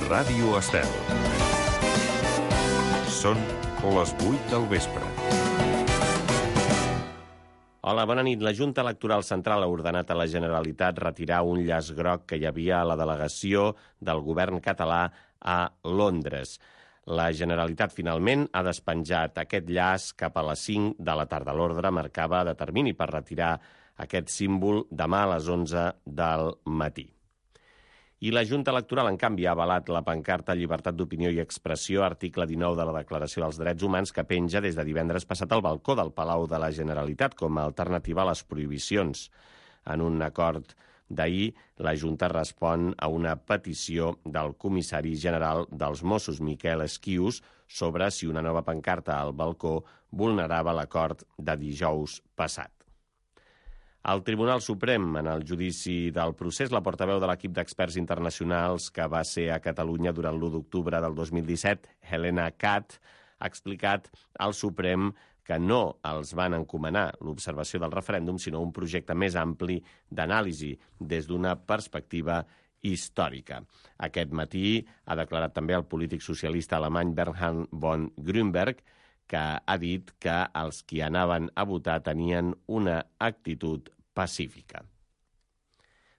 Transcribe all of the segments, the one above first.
Ràdio Estel. Són les 8 del vespre. Hola, bona nit. La Junta Electoral Central ha ordenat a la Generalitat retirar un llaç groc que hi havia a la delegació del govern català a Londres. La Generalitat finalment ha despenjat aquest llaç cap a les 5 de la tarda. L'ordre marcava de termini per retirar aquest símbol demà a les 11 del matí. I la Junta Electoral, en canvi, ha avalat la pancarta Llibertat d'opinió i expressió, article 19 de la Declaració dels Drets Humans, que penja des de divendres passat al balcó del Palau de la Generalitat com a alternativa a les prohibicions. En un acord d'ahir, la Junta respon a una petició del comissari general dels Mossos, Miquel Esquius, sobre si una nova pancarta al balcó vulnerava l'acord de dijous passat. Al Tribunal Suprem, en el judici del procés, la portaveu de l'equip d'experts internacionals que va ser a Catalunya durant l'1 d'octubre del 2017, Helena Catt, ha explicat al Suprem que no els van encomanar l'observació del referèndum, sinó un projecte més ampli d'anàlisi des d'una perspectiva històrica. Aquest matí ha declarat també el polític socialista alemany Bernhard von Grünberg, que ha dit que els qui anaven a votar tenien una actitud pacífica.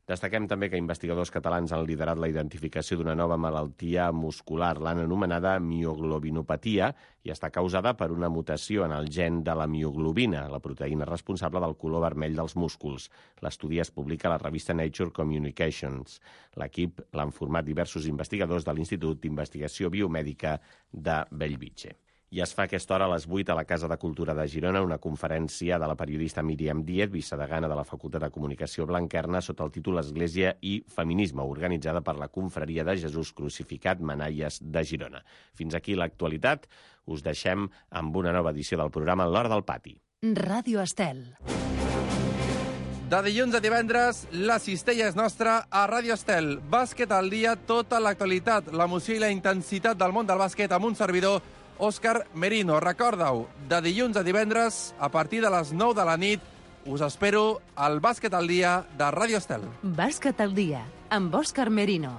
Destaquem també que investigadors catalans han liderat la identificació d'una nova malaltia muscular. L'han anomenada mioglobinopatia i està causada per una mutació en el gen de la mioglobina, la proteïna responsable del color vermell dels músculs. L'estudi es publica a la revista Nature Communications. L'equip l'han format diversos investigadors de l'Institut d'Investigació Biomèdica de Bellvitge. I es fa a aquesta hora a les 8 a la Casa de Cultura de Girona una conferència de la periodista Míriam Díez, vicedegana de la Facultat de Comunicació Blanquerna, sota el títol Església i Feminisme, organitzada per la Confraria de Jesús Crucificat Manaies de Girona. Fins aquí l'actualitat. Us deixem amb una nova edició del programa L'Hora del Pati. Ràdio Estel. De dilluns a divendres, la cistella és nostra a Ràdio Estel. Bàsquet al dia, tota l'actualitat, l'emoció i la intensitat del món del bàsquet amb un servidor, Òscar Merino. Recorda-ho, de dilluns a divendres, a partir de les 9 de la nit, us espero al Bàsquet al dia de Ràdio Estel. Bàsquet al dia, amb Òscar Merino.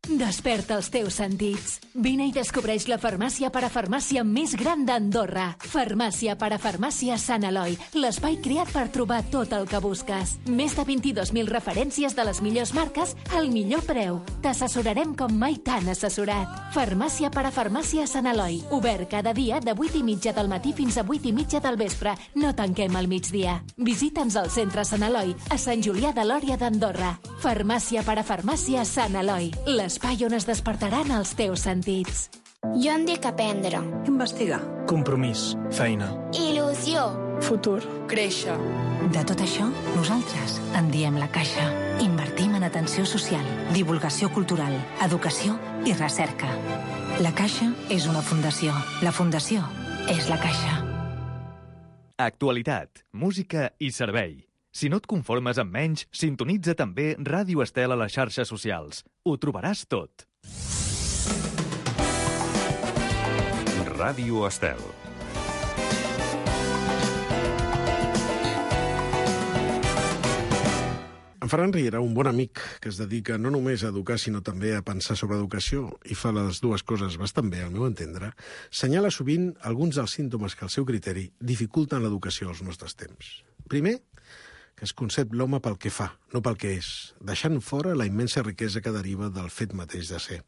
Desperta els teus sentits. Vine i descobreix la farmàcia parafarmàcia més gran d'Andorra. Farmàcia parafarmàcia Sant Eloi, l'espai creat per trobar tot el que busques. Més de 22.000 referències de les millors marques al millor preu. T'assessorarem com mai t'han assessorat. Farmàcia parafarmàcia Sant Eloi, obert cada dia de 8:30 del matí fins a 8:30 del vespre. No tanquem al migdia. Visita'ns al centre Sant Eloi, a Sant Julià de Lòria d'Andorra. Farmàcia parafarmàcia Sant Eloi, l'espai on es despertaran els teus sentits. Jo em dic aprendre. Investigar. Compromís. Feina. Il·lusió. Futur. Créixer. De tot això, nosaltres en diem La Caixa. Invertim en atenció social, divulgació cultural, educació i recerca. La Caixa és una fundació. La fundació és La Caixa. Actualitat, música i servei. Si no et conformes amb menys, sintonitza també Ràdio Estel a les xarxes socials. Ho trobaràs tot. Ràdio Estel. En Ferran Riera, un bon amic que es dedica no només a educar, sinó també a pensar sobre educació, i fa les dues coses bastant bé, al meu entendre, senyala sovint alguns dels símptomes que, al seu criteri, dificulten l'educació als nostres temps. Primer, que es concep l'home pel que fa, no pel que és, deixant fora la immensa riquesa que deriva del fet mateix de ser.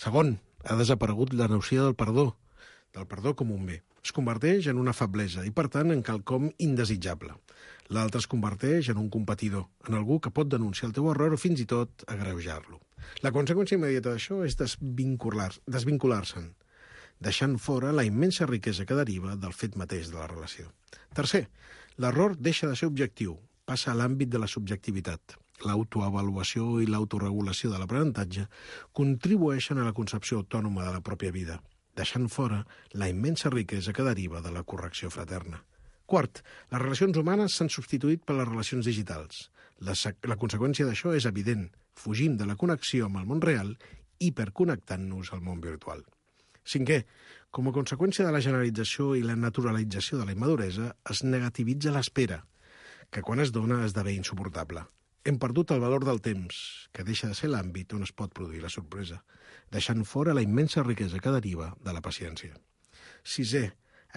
Segon, ha desaparegut la noció del perdó com un bé. Es converteix en una feblesa i, per tant, en quelcom indesitjable. L'altre es converteix en un competidor, en algú que pot denunciar el teu error o fins i tot agreujar-lo. La conseqüència immediata d'això és desvincular-se'n, deixant fora la immensa riquesa que deriva del fet mateix de la relació. Tercer, l'error deixa de ser objectiu, passa a l'àmbit de la subjectivitat. L'autoavaluació i l'autoregulació de l'aprenentatge contribueixen a la concepció autònoma de la pròpia vida, deixant fora la immensa riquesa que deriva de la correcció fraterna. Quart, les relacions humanes s'han substituït per les relacions digitals. La conseqüència d'això és evident. Fugim de la connexió amb el món real hiperconnectant-nos al món virtual. Cinquè, com a conseqüència de la generalització i la naturalització de la immaduresa, es negativitza l'espera. que quan es dona esdevé insuportable. Hem perdut el valor del temps, que deixa de ser l'àmbit on es pot produir la sorpresa, deixant fora la immensa riquesa que deriva de la paciència. 6è,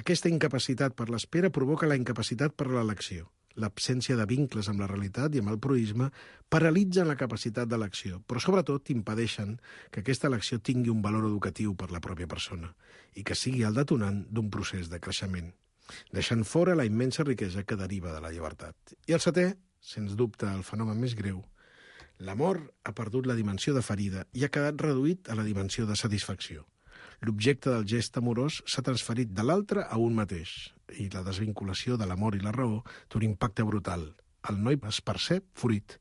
aquesta incapacitat per l'espera provoca la incapacitat per l'elecció. L'absència de vincles amb la realitat i amb el proïsme paralitzen la capacitat d'elecció, però sobretot impedeixen que aquesta elecció tingui un valor educatiu per la pròpia persona i que sigui el detonant d'un procés de creixement, deixant fora la immensa riquesa que deriva de la llibertat. I el 7è, sens dubte el fenomen més greu, l'amor ha perdut la dimensió de ferida i ha quedat reduït a la dimensió de satisfacció. L'objecte del gest amorós s'ha transferit de l'altre a un mateix i la desvinculació de l'amor i la raó té un impacte brutal. El noi es percep fruit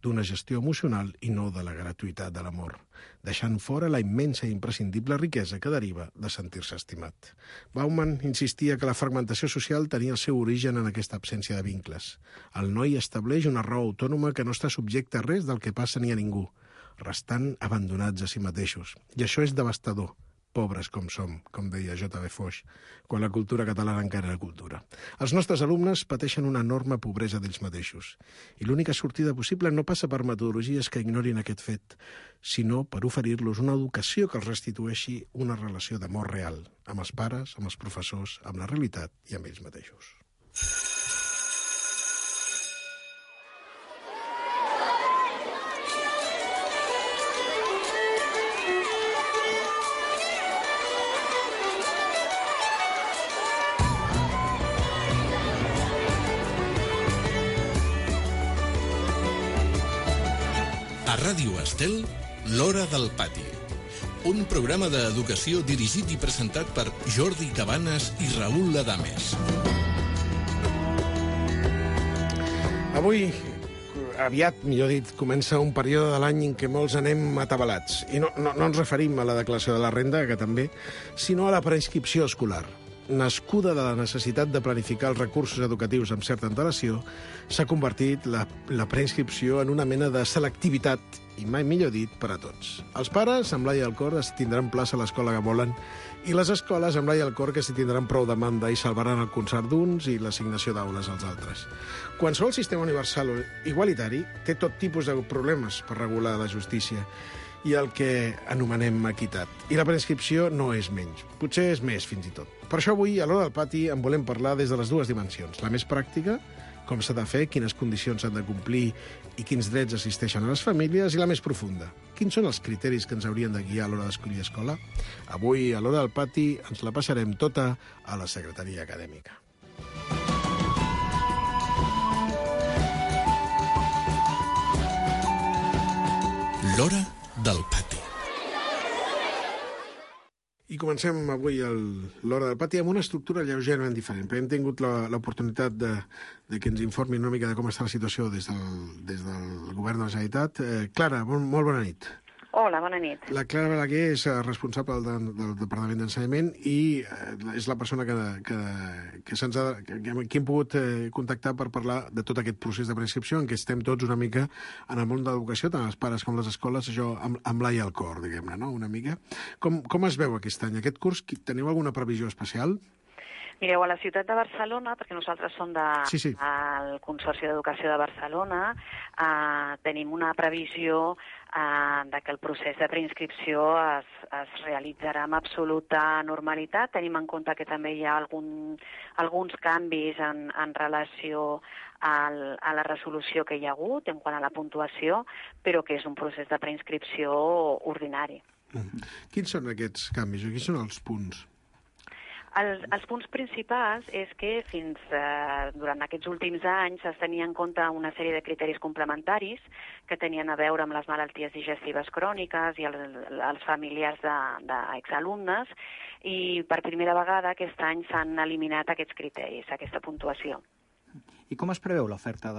d'una gestió emocional i no de la gratuïtat de l'amor, deixant fora la immensa i imprescindible riquesa que deriva de sentir-se estimat. Bauman insistia que la fragmentació social tenia el seu origen en aquesta absència de vincles. El noi estableix una raó autònoma que no està subjecte a res del que passa ni a ningú, restant abandonats a si mateixos. I això és devastador. Pobres com som, com deia J.B. Foix, quan la cultura catalana encara era cultura. Els nostres alumnes pateixen una enorme pobresa d'ells mateixos, i l'única sortida possible no passa per metodologies que ignorin aquest fet, sinó per oferir-los una educació que els restitueixi una relació d'amor real, amb els pares, amb els professors, amb la realitat i amb ells mateixos. A Ràdio Estel, l'Hora del Pati. Un programa d'educació dirigit i presentat per Jordi Cabanes i Raül Adames. Avui, aviat, millor dit, comença un període de l'any en què molts anem atabalats. I no ens referim a la declaració de la renda, que també, sinó a la preinscripció escolar. Nascuda de la necessitat de planificar els recursos educatius amb certa antelació, s'ha convertit la preinscripció en una mena de selectivitat, i mai millor dit, per a tots. Els pares, amb l'ai al cor, si tindran plaça a l'escola que volen, i les escoles, amb l'ai al cor, que si tindran prou demanda i salvaran el concert d'uns i l'assignació d'aules als altres. Qualsevol sistema universal o igualitari té tot tipus de problemes per regular la justícia i el que anomenem equitat. I la preinscripció no és menys, potser és més fins i tot. Per això avui, a l'Hora del Pati, en volem parlar des de les dues dimensions. La més pràctica, com s'ha de fer, quines condicions s'han de complir i quins drets assisteixen a les famílies, i la més profunda, quins són els criteris que ens haurien de guiar a l'hora d'escollir escola? Avui, a l'Hora del Pati, ens la passarem tota a la secretaria acadèmica. L'Hora del Pati. I comencem avui l'Hora del Pati amb una estructura lleugerament diferent, perquè hem tingut l'oportunitat de que ens informin una mica de com està la situació des del govern de la Generalitat. Clara, molt bona nit. Hola, bona nit. La Clara Balaguer és responsable del Departament d'Ensenyament i és la persona que hem pogut contactar per parlar de tot aquest procés de preinscripció en què estem tots una mica en el món de l'educació, tant els pares com les escoles, això amb l'ai al cor, diguem-ne, no? Una mica. Com es veu aquest any? Aquest curs, teniu alguna previsió especial? Mireu, a la ciutat de Barcelona, perquè nosaltres som del Consorci d'Educació de Barcelona, tenim una previsió de que el procés de preinscripció es realitzarà amb absoluta normalitat. Tenim en compte que també hi ha alguns canvis en relació a la resolució que hi ha hagut en quant a la puntuació, però que és un procés de preinscripció ordinari. Quins són aquests canvis? Quins són els punts? Els punts principals és que durant aquests últims anys es tenia en compte una sèrie de criteris complementaris que tenien a veure amb les malalties digestives cròniques i els familiars d'exalumnes, i per primera vegada aquest any s'han eliminat aquests criteris, aquesta puntuació. I com es preveu l'oferta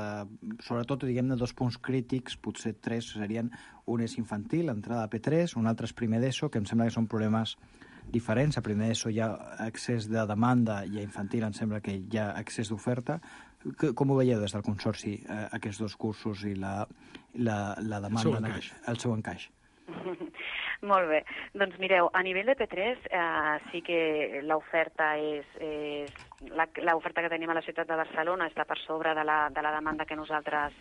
sobretot, diguem-ne, dos punts crítics, potser tres serien: un és infantil, entrada a P3, un altre és primer d'ESO, que em sembla que són problemes diferents. A primer d'ESO hi ha excés de demanda i a infantil em sembla que hi ha excés d'oferta. Com ho veieu des del Consorci, aquests dos cursos i la demanda, el seu encaix? Molt bé. Doncs mireu, a nivell de P3 sí que l'oferta l'oferta que tenim a la ciutat de Barcelona està per sobre de la demanda que nosaltres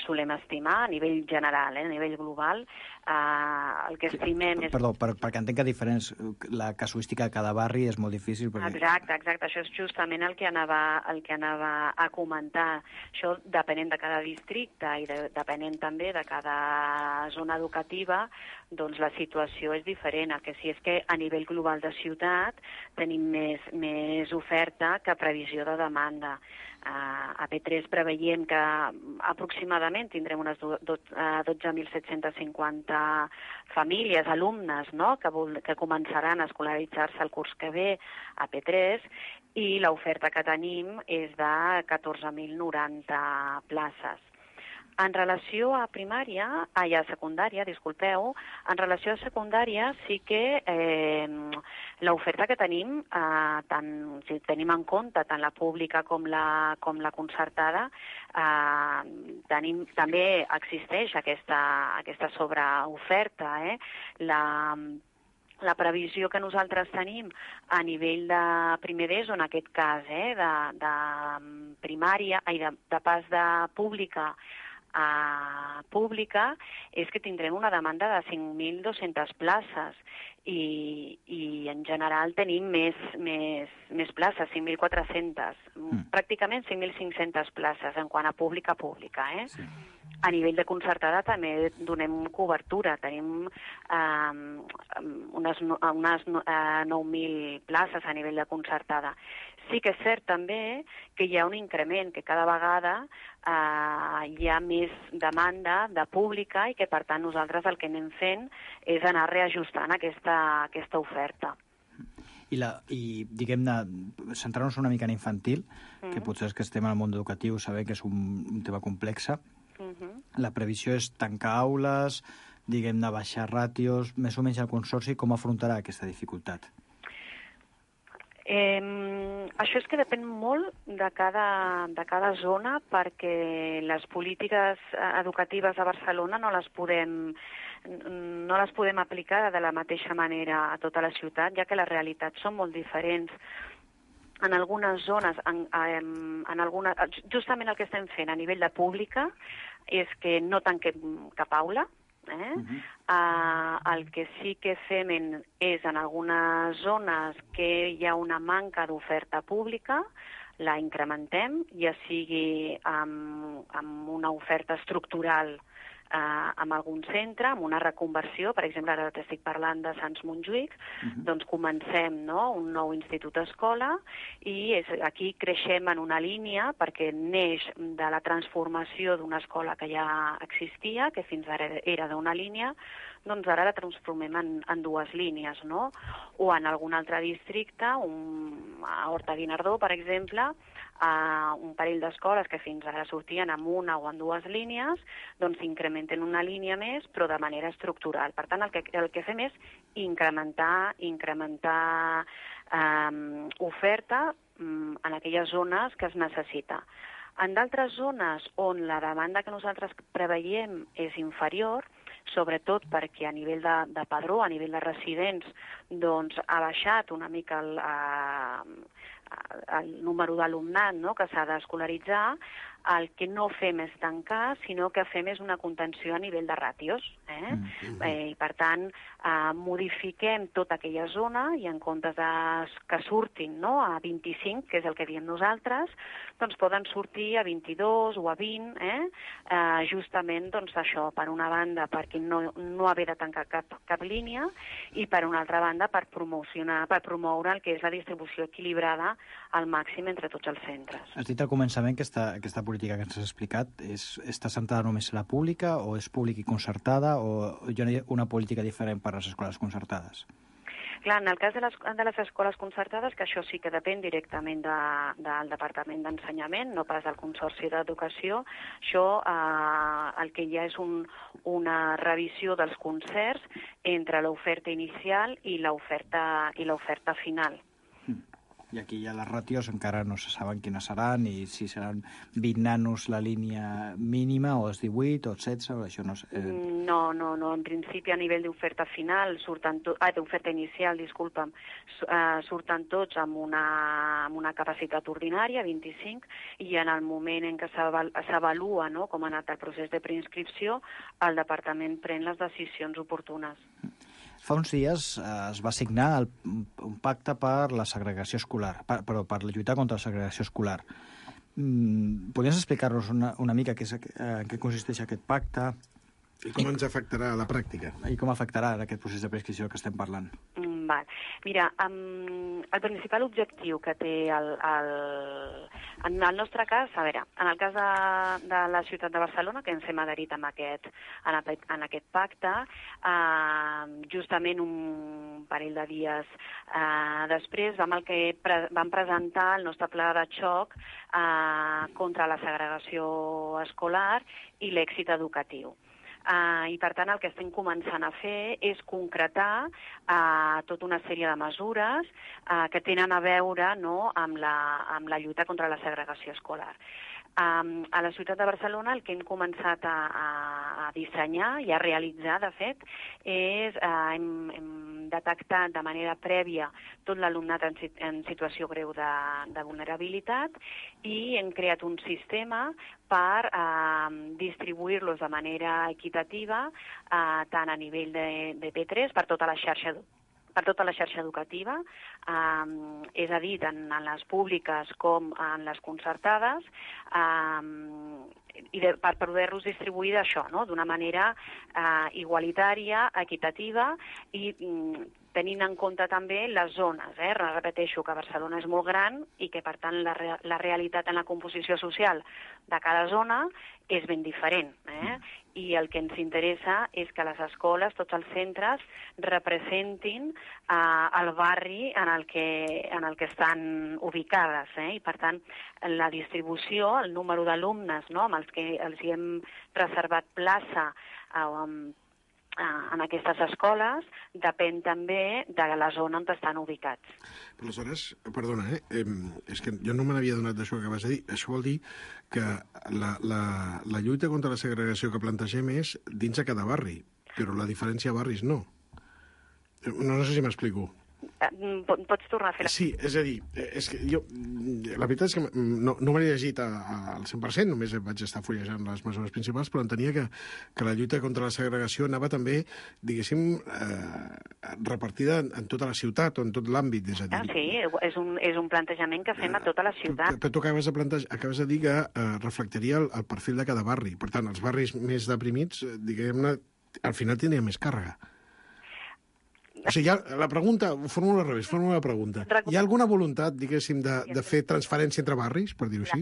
solem estimar a nivell general, a nivell global. El que estimem és... Perdó, perquè entenc que diferents, la casuística de cada barri és molt difícil. Perquè... Exacte. Això és justament el que anava a comentar. Això depenent de cada districte i depenent també de cada zona educativa, doncs la situació és diferent. El que sí és que a nivell global de ciutat tenim més oferta que previsió de demanda. A P3 preveiem que aproximadament tindrem unes 12.750 famílies, alumnes, no?, que començaran a escolaritzar-se el curs que ve a P3 i l'oferta que tenim és de 14.090 places. En relació a secundària, en relació a secundària sí que l'oferta que tenim, si tenim en compte tant la pública com la concertada, també existeix aquesta sobreoferta. La previsió que nosaltres tenim a nivell de primer d'ESO, en aquest cas, de primària, de pas de pública a pública, és que tindrem una demanda de 5.200 places i en general tenim més places, 5.400, pràcticament 5.500 places en quant a pública. Sí. A nivell de concertada també donem cobertura, tenim unes 9.000 places a nivell de concertada. Sí que és cert també que hi ha un increment, que cada vegada hi ha més demanda de pública i que, per tant, nosaltres el que anem fent és anar reajustant aquesta oferta. I diguem-ne, centrar-nos una mica en infantil, que potser és que estem al món educatiu, sabem que és un tema complex. La previsió és tancar aules, diguem-ne, baixar ràtios, més o menys el Consorci, com afrontarà aquesta dificultat? Això és que depèn molt de cada zona, perquè les polítiques educatives a Barcelona no les podem aplicar de la mateixa manera a tota la ciutat, ja que les realitats són molt diferents. En algunes zones, justament el que estem fent a nivell de pública és que no tanquem cap aula. El que sí que fem és en algunes zones que hi ha una manca d'oferta pública, la incrementem, ja sigui amb una oferta estructural en algun centre, amb una reconversió. Per exemple, ara t'estic parlant de Sants Montjuïc, doncs comencem un nou institut escola i aquí creixem en una línia perquè neix de la transformació d'una escola que ja existia, que fins ara era d'una línia, doncs ara la transformem en dues línies, no? O en algun altre districte, a Horta-Guinardó, per exemple, un parell d'escoles que fins ara sortien amb una o en dues línies, doncs s'incrementen una línia més, però de manera estructural. Per tant, el que fem és incrementar oferta en aquelles zones que es necessita. En d'altres zones on la demanda que nosaltres preveiem és inferior, sobretot perquè a nivell de padró, a nivell de residents, doncs ha baixat una mica el número d'alumnat que s'ha d'escolaritzar, el que no fem és tancar, sinó que fem és una contenció a nivell de ràtios. I, per tant, modifiquem tota aquella zona i en comptes que surtin a 25, que és el que diem nosaltres, doncs poden sortir a 22 o a 20, justament això, per una banda, perquè no haver de tancar cap línia, i per una altra banda, per promoure el que és la distribució equilibrada al màxim entre tots els centres. Has dit al començament que aquesta política que ens has explicat està centrada només en la pública o és pública i concertada o hi ha una política diferent per a les escoles concertades? Clar, en el cas de les escoles concertades, que això sí que depèn directament del Departament d'Ensenyament, no pas del Consorci d'Educació, això el que hi ha és una revisió dels concerts entre l'oferta inicial i l'oferta final. I aquí ja les ràtios encara no se saben quines seran, i si seran 20 nanos la línia mínima, o és 18, o 16, o això no sé. No. En principi, a nivell d'oferta final, d'oferta inicial, disculpa'm, surten tots amb una capacitat ordinària, 25, i en el moment en què s'avalua, no?, com ha anat el procés de preinscripció, el departament pren les decisions oportunes. Fa uns dies es va signar un pacte per la segregació escolar, per lluitar contra la segregació escolar. Podries explicar-nos una mica en què consisteix aquest pacte? I com ens afectarà a la pràctica? I com afectarà aquest procés de prescripció que estem parlant? Mira, el principal objectiu que té en el nostre cas, a veure, en el cas de la ciutat de Barcelona, que ens hem adherit en aquest pacte, justament un parell de dies després vam presentar el nostre pla de xoc contra la segregació escolar i l'èxit educatiu. I, per tant, el que estem començant a fer és concretar tota una sèrie de mesures que tenen a veure, no?, amb la lluita contra la segregació escolar. A la ciutat de Barcelona el que hem començat a dissenyar i a realitzar, de fet, és hem detectat de manera prèvia tot l'alumnat en situació greu de vulnerabilitat i hem creat un sistema per distribuir-los de manera equitativa tant a nivell de P3 per tota la xarxa educativa, és a dir, tant en les públiques com en les concertades, i per poder-los distribuir d'això, no?, d'una manera igualitària, equitativa i tenint en compte també les zones. Repeteixo que Barcelona és molt gran i que, per tant, la realitat en la composició social de cada zona és ben diferent. I el que ens interessa és que les escoles, tots els centres, representin el barri en el que estan ubicades. I, per tant, la distribució, el número d'alumnes, no?, amb els que els hi hem reservat plaça en aquestes escoles, depèn també de la zona on estan ubicats. Aleshores, perdona, és que jo no me n'havia donat d'això que acabes de dir. Això vol dir que la lluita contra la segregació que plantegem és dins de cada barri, però la diferència de barris no. No sé si m'explico. Pots tornar a fer-la? Sí, és a dir, és que jo, la veritat és que no m'he llegit al 100%, només vaig estar fullejant les mesures principals, però entenia que la lluita contra la segregació anava també, diguéssim, repartida en tota la ciutat o en tot l'àmbit, és a dir. Sí, és un plantejament que fem a tota la ciutat. Però tu acabes de dir que reflectiria el perfil de cada barri. Per tant, els barris més deprimits, diguem-ne, al final tindrien més càrrega. O sigui, la pregunta, fórmula al revés, fórmula la pregunta. Hi ha alguna voluntat, diguéssim, de fer transferència entre barris, per dir-ho així?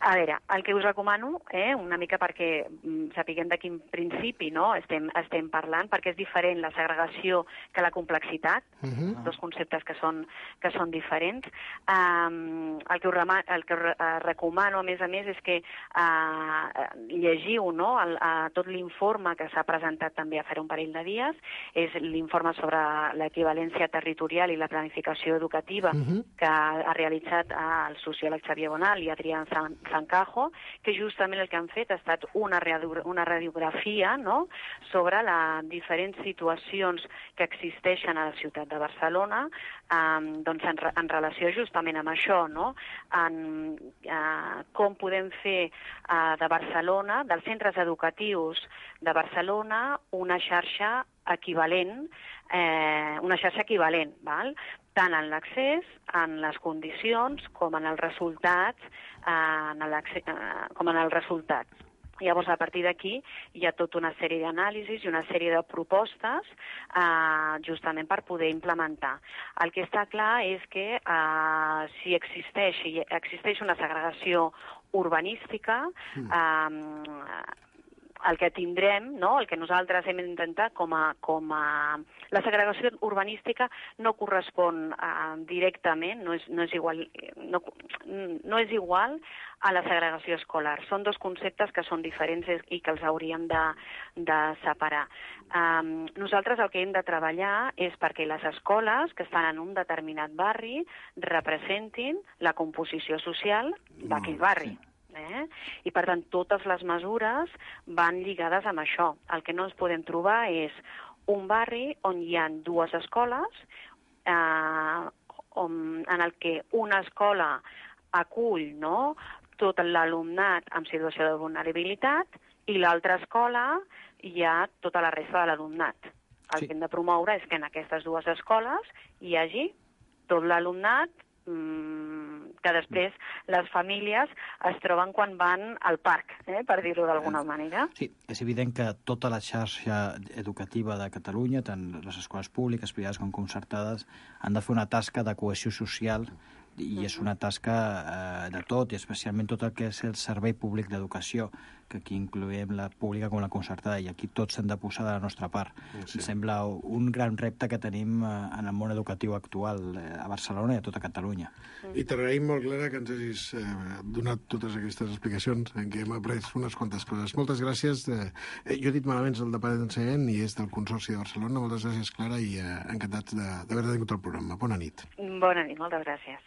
A veure, el que us recomano, una mica perquè sapiguem de quin principi, no?, estem parlant, perquè és diferent la segregació que la complexitat, dos conceptes que són diferents. El que recomano, a més, és que llegiu, no?, tot l'informe que s'ha presentat també a fer un parell de dies, és l'informe sobre l'equivalència territorial i la planificació educativa que ha realitzat el sociòleg Xavier Bonal i Adrián Zancajo, que justament el que han fet ha estat una radiografia, no?, sobre les diferents situacions que existeixen a la ciutat de Barcelona, doncs en relació justament amb això, no?, en com podem fer de Barcelona, dels centres educatius de Barcelona, una xarxa equivalent, val? Tant en l'accés, en les condicions, com en els resultats, Llavors, a partir d'aquí, hi ha tota una sèrie d'anàlisis i una sèrie de propostes justament per poder implementar. El que està clar és que si existeix una segregació urbanística, el que tindrem, no? El que nosaltres hem d'intentar com a... La segregació urbanística no correspon directament, no és igual a la segregació escolar. Són dos conceptes que són diferents i que els hauríem de separar. Nosaltres el que hem de treballar és perquè les escoles que estan en un determinat barri representin la composició social d'aquell barri. I, per tant, totes les mesures van lligades amb això. El que no ens podem trobar és un barri on hi ha dues escoles, en el que una escola acull tot l'alumnat en situació de vulnerabilitat i l'altra escola hi ha tota la resta de l'alumnat. El que hem de promoure és que en aquestes dues escoles hi hagi tot l'alumnat que després les famílies es troben quan van al parc, per dir-ho d'alguna manera. Sí, és evident que tota la xarxa educativa de Catalunya, tant les escoles públiques, privades com concertades, han de fer una tasca de cohesió social i és una tasca de tot, i especialment tot el que és el servei públic d'educació, que aquí incloem la pública com la concertada, i aquí tots hem de posar de la nostra part. Em sembla un gran repte que tenim en el món educatiu actual a Barcelona i a tota Catalunya. I t'agraïm molt, Clara, que ens hagis donat totes aquestes explicacions en què hem après unes quantes coses. Moltes gràcies. Jo he dit malament el Departament d'Ensenyament i és del Consorci de Barcelona. Moltes gràcies, Clara, i encantats d'haver-te tingut al programa. Bona nit. Bona nit, moltes gràcies.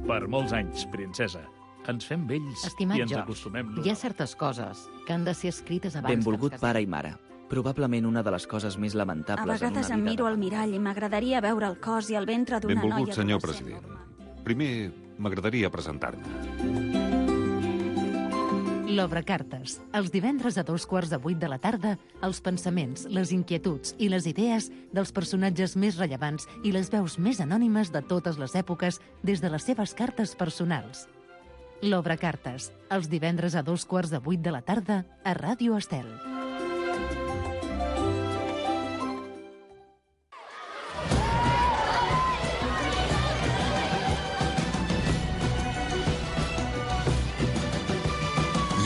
Per molts anys, princesa. Ens fem vells i ens acostumem. Hi ha certes coses que han de ser escrites abans. Benvolgut pare i mare. Probablement una de les coses més lamentables en una vida. A vegades em miro al mirall i m'agradaria veure el cos i el ventre d'una noia... Benvolgut, senyor president. Primer, m'agradaria presentar-me. L'Obra Cartes. Els divendres a 7:15 de la tarda, els pensaments, les inquietuds i les idees dels personatges més rellevants i les veus més anònimes de totes les èpoques des de les seves cartes personals. L'Obra Cartes. Els divendres a 7:15 de la tarda a Ràdio Estel.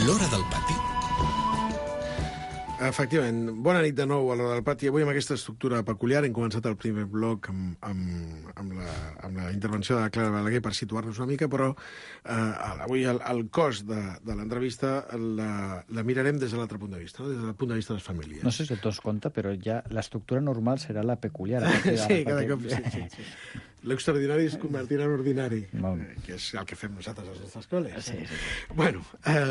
L'Hora del Pati. Efectivament. Bona nit de nou a l'Hora del Pati. Avui amb aquesta estructura peculiar hem començat el primer bloc amb la intervenció de la Clara Balaguer per situar-nos una mica, però avui el cos de l'entrevista la mirarem des de l'altre punt de vista, no? Des del punt de vista de les famílies. No sé si tots compte, però ja l'estructura normal serà la peculiar. Sí, cada cop sí. L'extraordinari es convertirà en ordinari, que és el que fem nosaltres a les nostres col·les. Sí. Bueno,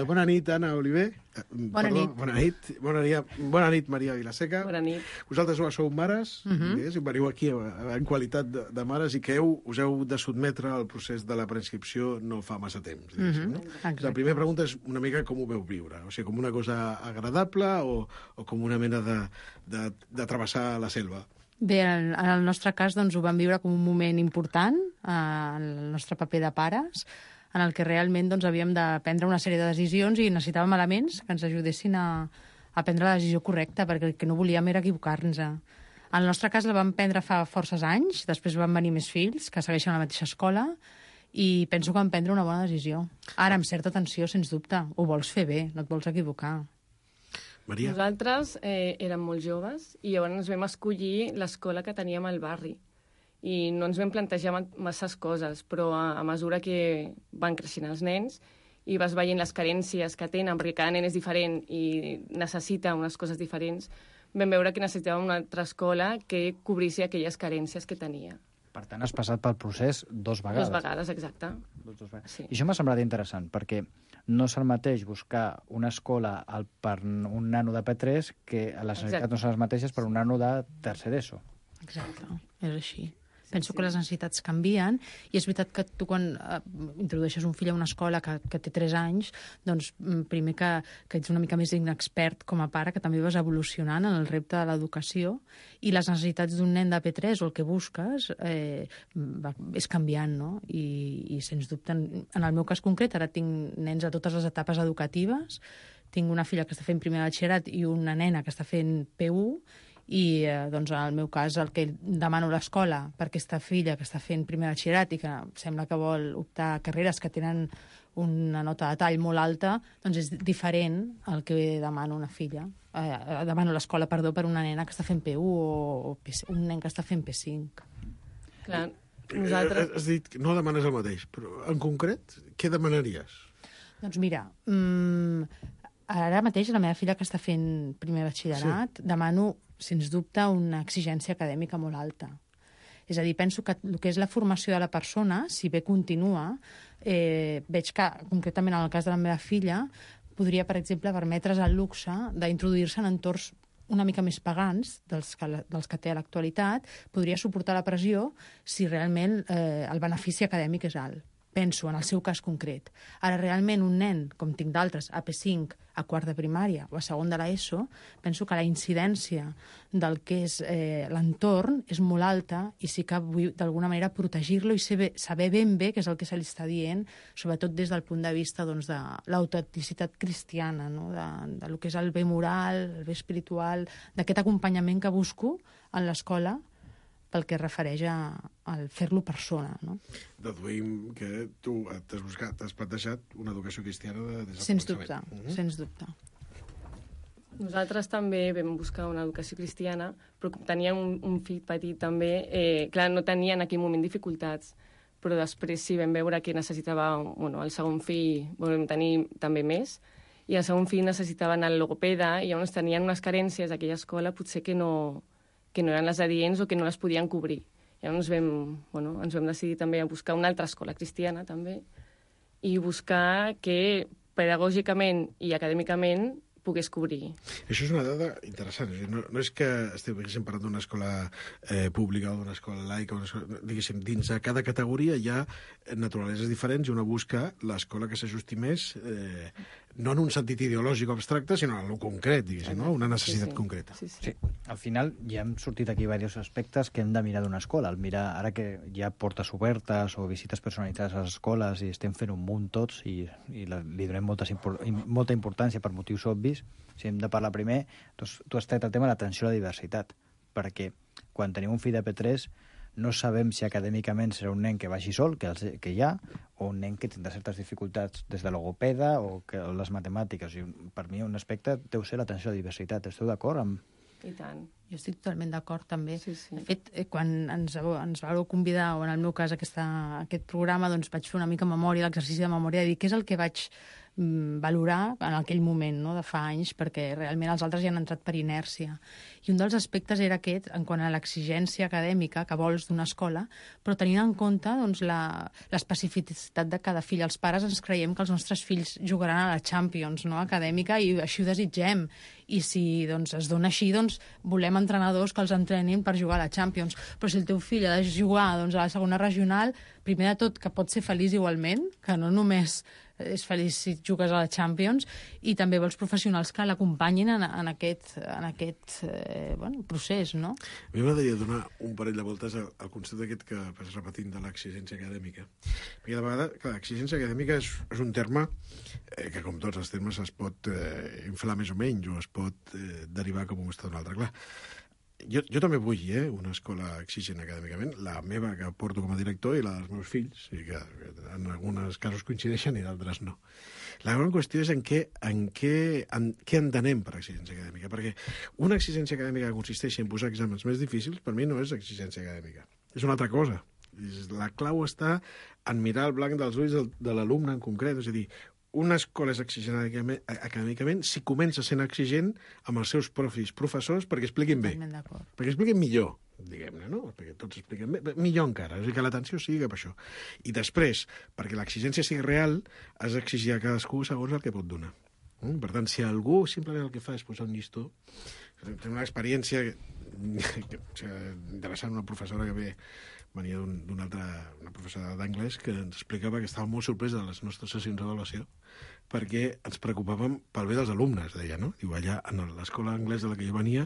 bona nit, Anna Oliver. Bona nit. Bona nit, Maria Vilaseca. Bona nit. Vosaltres sou mares, veniu aquí en qualitat de mares i que us heu de sotmetre al procés de la preinscripció no fa massa temps. No? La primera pregunta és una mica com ho veu viure, o sigui, com una cosa agradable o com una mena de travessar la selva. Bé, en el nostre cas doncs, ho vam viure com un moment important en el nostre paper de pares, en el que realment doncs, havíem de prendre una sèrie de decisions i necessitàvem elements que ens ajudessin a prendre la decisió correcta, perquè el que no volíem era equivocar-nos. En el nostre cas la vam prendre fa forces anys, després van venir més fills que segueixen a la mateixa escola i penso que vam prendre una bona decisió. Ara, amb certa tensió, sens dubte, ho vols fer bé, no et vols equivocar. Maria? Nosaltres érem molt joves i llavors ens vam escollir l'escola que teníem al barri i no ens vam plantejar masses coses, però a mesura que van creixent els nens i vas veient les carències que tenen, perquè cada nen és diferent i necessita unes coses diferents, vam veure que necessitàvem una altra escola que cobrís aquelles carències que tenia. Per tant, has passat pel procés 2 vegades. 2 vegades, exacte. Sí. I això m'ha semblat interessant, perquè no és el mateix buscar una escola per un nano de P3 que les necessitats no són les mateixes per un nano de tercer d'ESO. Exacte, és així. Penso que les necessitats canvien i és veritat que tu quan introdueixes un fill a una escola que té 3 anys, doncs primer que ets una mica més inexpert com a pare, que també vas evolucionant en el repte de l'educació i les necessitats d'un nen de P3 o el que busques és canviant, no? I sens dubte, en el meu cas concret, ara tinc nens a totes les etapes educatives, tinc una filla que està fent primer de batxillerat i una nena que està fent P1 I, doncs, en el meu cas, el que demano a l'escola per aquesta filla que està fent primer batxillerat i que sembla que vol optar a carreres que tenen una nota de tall molt alta, doncs és diferent al que demano una filla. Demano a l'escola, perdó, per una nena que està fent P1 o un nen que està fent P5. Clar, nosaltres... Has dit que no demanes el mateix, però en concret, què demanaries? Doncs mira, ara mateix la meva filla que està fent primer batxillerat, demano, sens dubte, una exigència acadèmica molt alta. És a dir, penso que el que és la formació de la persona, si bé continua, veig que, concretament en el cas de la meva filla, podria, per exemple, permetre's el luxe d'introduir-se en entorns una mica més pagans dels que té a l'actualitat, podria suportar la pressió si realment el benefici acadèmic és alt. Penso en el seu cas concret. Ara, realment, un nen, com tinc d'altres, a P5, a quart de primària o a segon de l'ESO, penso que la incidència del que és l'entorn és molt alta i sí que vull, d'alguna manera, protegir-lo i saber ben bé què és el que se li està dient, sobretot des del punt de vista doncs, de l'autenticitat cristiana, no? de lo que és el bé moral, el bé espiritual, d'aquest acompanyament que busco en l'escola, pel que refereix al fer-lo persona. No? Deduïm que tu t'has plantejat una educació cristiana des del sens dubte, sens dubte. Nosaltres també vam buscar una educació cristiana, però teníem un fill petit també. Clar, no tenia en aquell moment dificultats, però després sí vam veure que necessitava... el segon fill volem tenir també més, i el segon fill necessitava anar al logopeda, i llavors tenien unes carències a aquella escola potser que no eren les adients o que no les podien cobrir. Llavors ens vam decidir també a buscar una altra escola cristiana també i buscar que pedagògicament i acadèmicament pogués cobrir. Això és una dada interessant. No és que estiguéssim parlant d'una escola pública o d'una escola laica, diguéssim, dins de cada categoria hi ha naturaleses diferents i una busca l'escola que s'ajusti més, no en un sentit ideològic o abstracte, sinó en el concret, diguéssim, no? Una necessitat concreta. Sí. Al final ja hem sortit aquí diversos aspectes que hem de mirar d'una escola. Ara que hi ha portes obertes o visites personalitzades a les escoles i estem fent un munt tots i li donem molta importància per motius obvis, si hem de parlar primer, doncs, tu has tret el tema de l'atenció a la diversitat, perquè quan tenim un fill de P3 no sabem si acadèmicament serà un nen que vagi sol, que hi ha, o un nen que tindrà certes dificultats des de logopeda o les matemàtiques. I per mi un aspecte deu ser l'atenció a la diversitat. Esteu d'acord amb...? I tant. Jo estic totalment d'acord, també. Sí. De fet, quan ens vau convidar, o en el meu cas aquest programa, doncs vaig fer una mica memòria, l'exercici de memòria, de dir què és el que vaig valorar en aquell moment, no, de fa anys, perquè realment els altres hi han entrat per inèrcia. I un dels aspectes era aquest, en quant a l'exigència acadèmica que vols d'una escola, però tenint en compte doncs, l'especificitat de cada fill. Els pares ens creiem que els nostres fills jugaran a la Champions, no, acadèmica, i així ho desitgem. I si doncs, es dona així, doncs, volem entrenadors que els entrenin per jugar a la Champions. Però si el teu fill ha de jugar doncs, a la segona regional, primer de tot que pot ser feliç igualment, que no només és feliç si jugues a la Champions, i també vols professionals que l'acompanyin en aquest procés, no? A mi m'agradaria donar un parell de voltes al concepte aquest que vas repetint de l'exigència acadèmica. Perquè de vegades, clar, l'exigència acadèmica és un terme que, com tots els termes, es pot inflar més o menys, o es pot derivar com un estat d'un altre. Clar, jo també vull una escola exigent acadèmicament, la meva que porto com a director i la dels meus fills, i que en alguns casos coincideixen i d'altres no. La gran qüestió és en què entenem per exigència acadèmica, perquè una exigència acadèmica que consisteix en posar exàmens més difícils, per mi no és exigència acadèmica, és una altra cosa. La clau està en mirar el blanc dels ulls de l'alumne en concret, és a dir, una escola és exigent acadèmicament si comença sent exigent amb els seus professors perquè expliquin bé. Perquè expliquin millor, diguem-ne, no? Perquè tots expliquen bé, millor encara. És a dir, que l'atenció sigui cap a això. I després, perquè l'exigència sigui real, has d'exigir a cadascú segons el que pot donar. Per tant, si algú simplement el que fa és posar un llistó, té una experiència interessant, una professora que venia una professora d'anglès que ens explicava que estava molt sorpresa de les nostres sessions d'avaluació perquè ens preocupàvem pel bé dels alumnes, deia, no? Diu, allà, en l'escola anglesa de la que jo venia,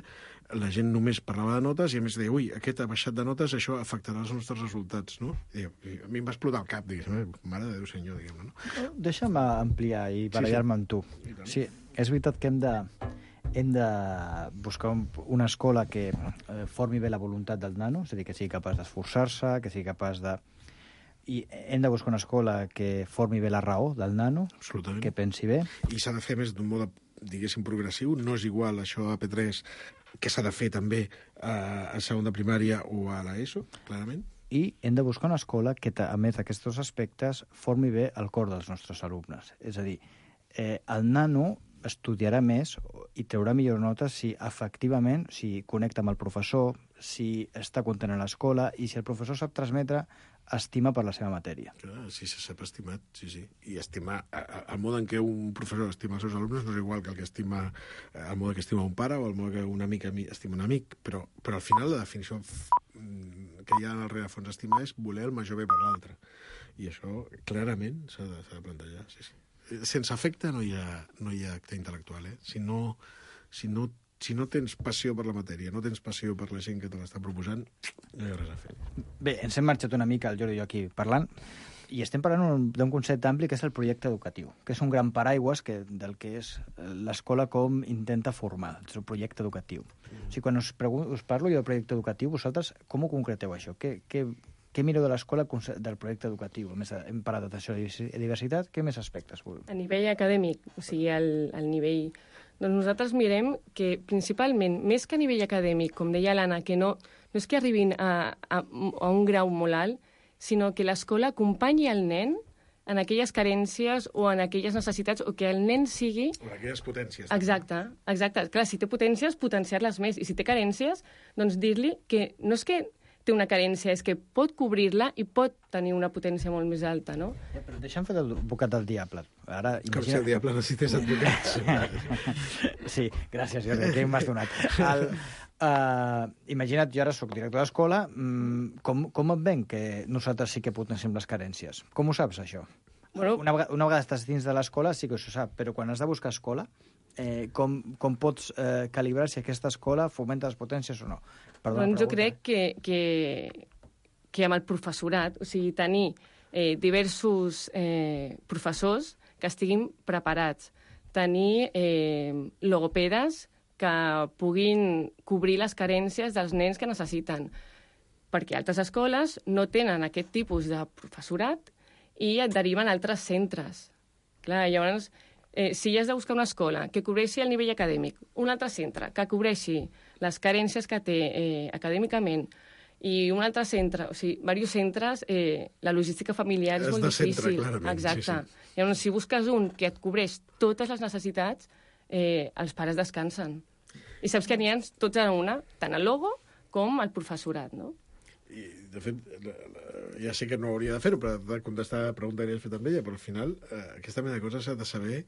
la gent només parlava de notes i a més deia, ui, aquest ha baixat de notes, això afectarà els nostres resultats, no? I a mi em va explotar el cap, diguéssim, mare de Déu senyor, diguem-ne, no? Deixa'm ampliar i barallar-me amb tu. Sí, és veritat que hem de buscar una escola que formi bé la voluntat del nano, és a dir, que sigui capaç d'esforçar-se, que sigui capaç de... I hem de buscar una escola que formi bé la raó del nano, que pensi bé. I s'ha de fer més d'un mode, diguéssim, progressiu. No és igual això a P3, que s'ha de fer també a segon de primària o a l'ESO, clarament. I hem de buscar una escola que, a més d'aquests aspectes, formi bé el cor dels nostres alumnes. És a dir, el nano estudiarà més i traurà millors notes si efectivament connecta amb el professor, si està content a l'escola i si el professor sap transmetre estima per la seva matèria. Si se sap estimat, sí. I estimar, el mode en què un professor estima els seus alumnes no és igual que el mode que estima un pare o el mode que un amic estima un amic, però al final la definició que hi ha en el rerefons estimar és voler el major bé per l'altre. I això clarament s'ha de plantejar, sí. Sense afecte no hi ha acte intel·lectual, Si no tens passió per la matèria, no tens passió per la gent que te l'està proposant, no hi ha res a fer. Bé, ens hem marxat una mica, el Jordi i jo aquí parlant, i estem parlant d'un concepte ampli que és el projecte educatiu, que és un gran paraigües del que és l'escola com intenta formar, el seu projecte educatiu. O sigui, quan us parlo jo del projecte educatiu, vosaltres com ho concreteu, això? Què mireu de l'escola del projecte educatiu? A més, hem parlat d'atenció a la diversitat, què més aspectes? A nivell acadèmic, o sigui, al nivell... Doncs nosaltres mirem que, principalment, més que a nivell acadèmic, com deia l'Anna, que no és que arribin a un grau molt alt, sinó que l'escola acompanyi el nen en aquelles carències o en aquelles necessitats, o que el nen sigui... O aquelles potències. Exacte. Clar, si té potències, potenciar-les més. I si té carències, doncs dir-li que no és que té una carència, és que pot cobrir-la i pot tenir una potència molt més alta, no? Però deixa'm fer l'advocat del diable. Ara, com si el diable necessités advocats. Sí, gràcies, Jordi, que m'has donat. Imagina't, jo ara soc director d'escola, com et ven que nosaltres sí que potenciem les carències? Com ho saps, això? Bueno, una vegada estàs dins de l'escola sí que ho sap, però quan has de buscar escola, com pots calibrar si aquesta escola fomenta les potències o no? Doncs jo crec que amb el professorat, o sigui, tenir diversos professors que estiguin preparats, tenir logopedes que puguin cobrir les carències dels nens que necessiten, perquè altres escoles no tenen aquest tipus de professorat i et deriven a altres centres. Clar, llavors, si has de buscar una escola que cobreixi el nivell acadèmic, un altre centre que cobreixi les carències que té acadèmicament i un altre centre, o sigui, diversos centres, la logística familiar és molt difícil. Centre, clarament. Exacte. Sí. Llavors, si busques un que et cobreix totes les necessitats, els pares descansen. I saps que n'hi ha tots a una, tant el logo com el professorat, no? I, de fet, ja sé que no hauria de fer-ho, però de contestar la pregunta que li has fet amb ella, però al final aquesta mena de coses s'ha de saber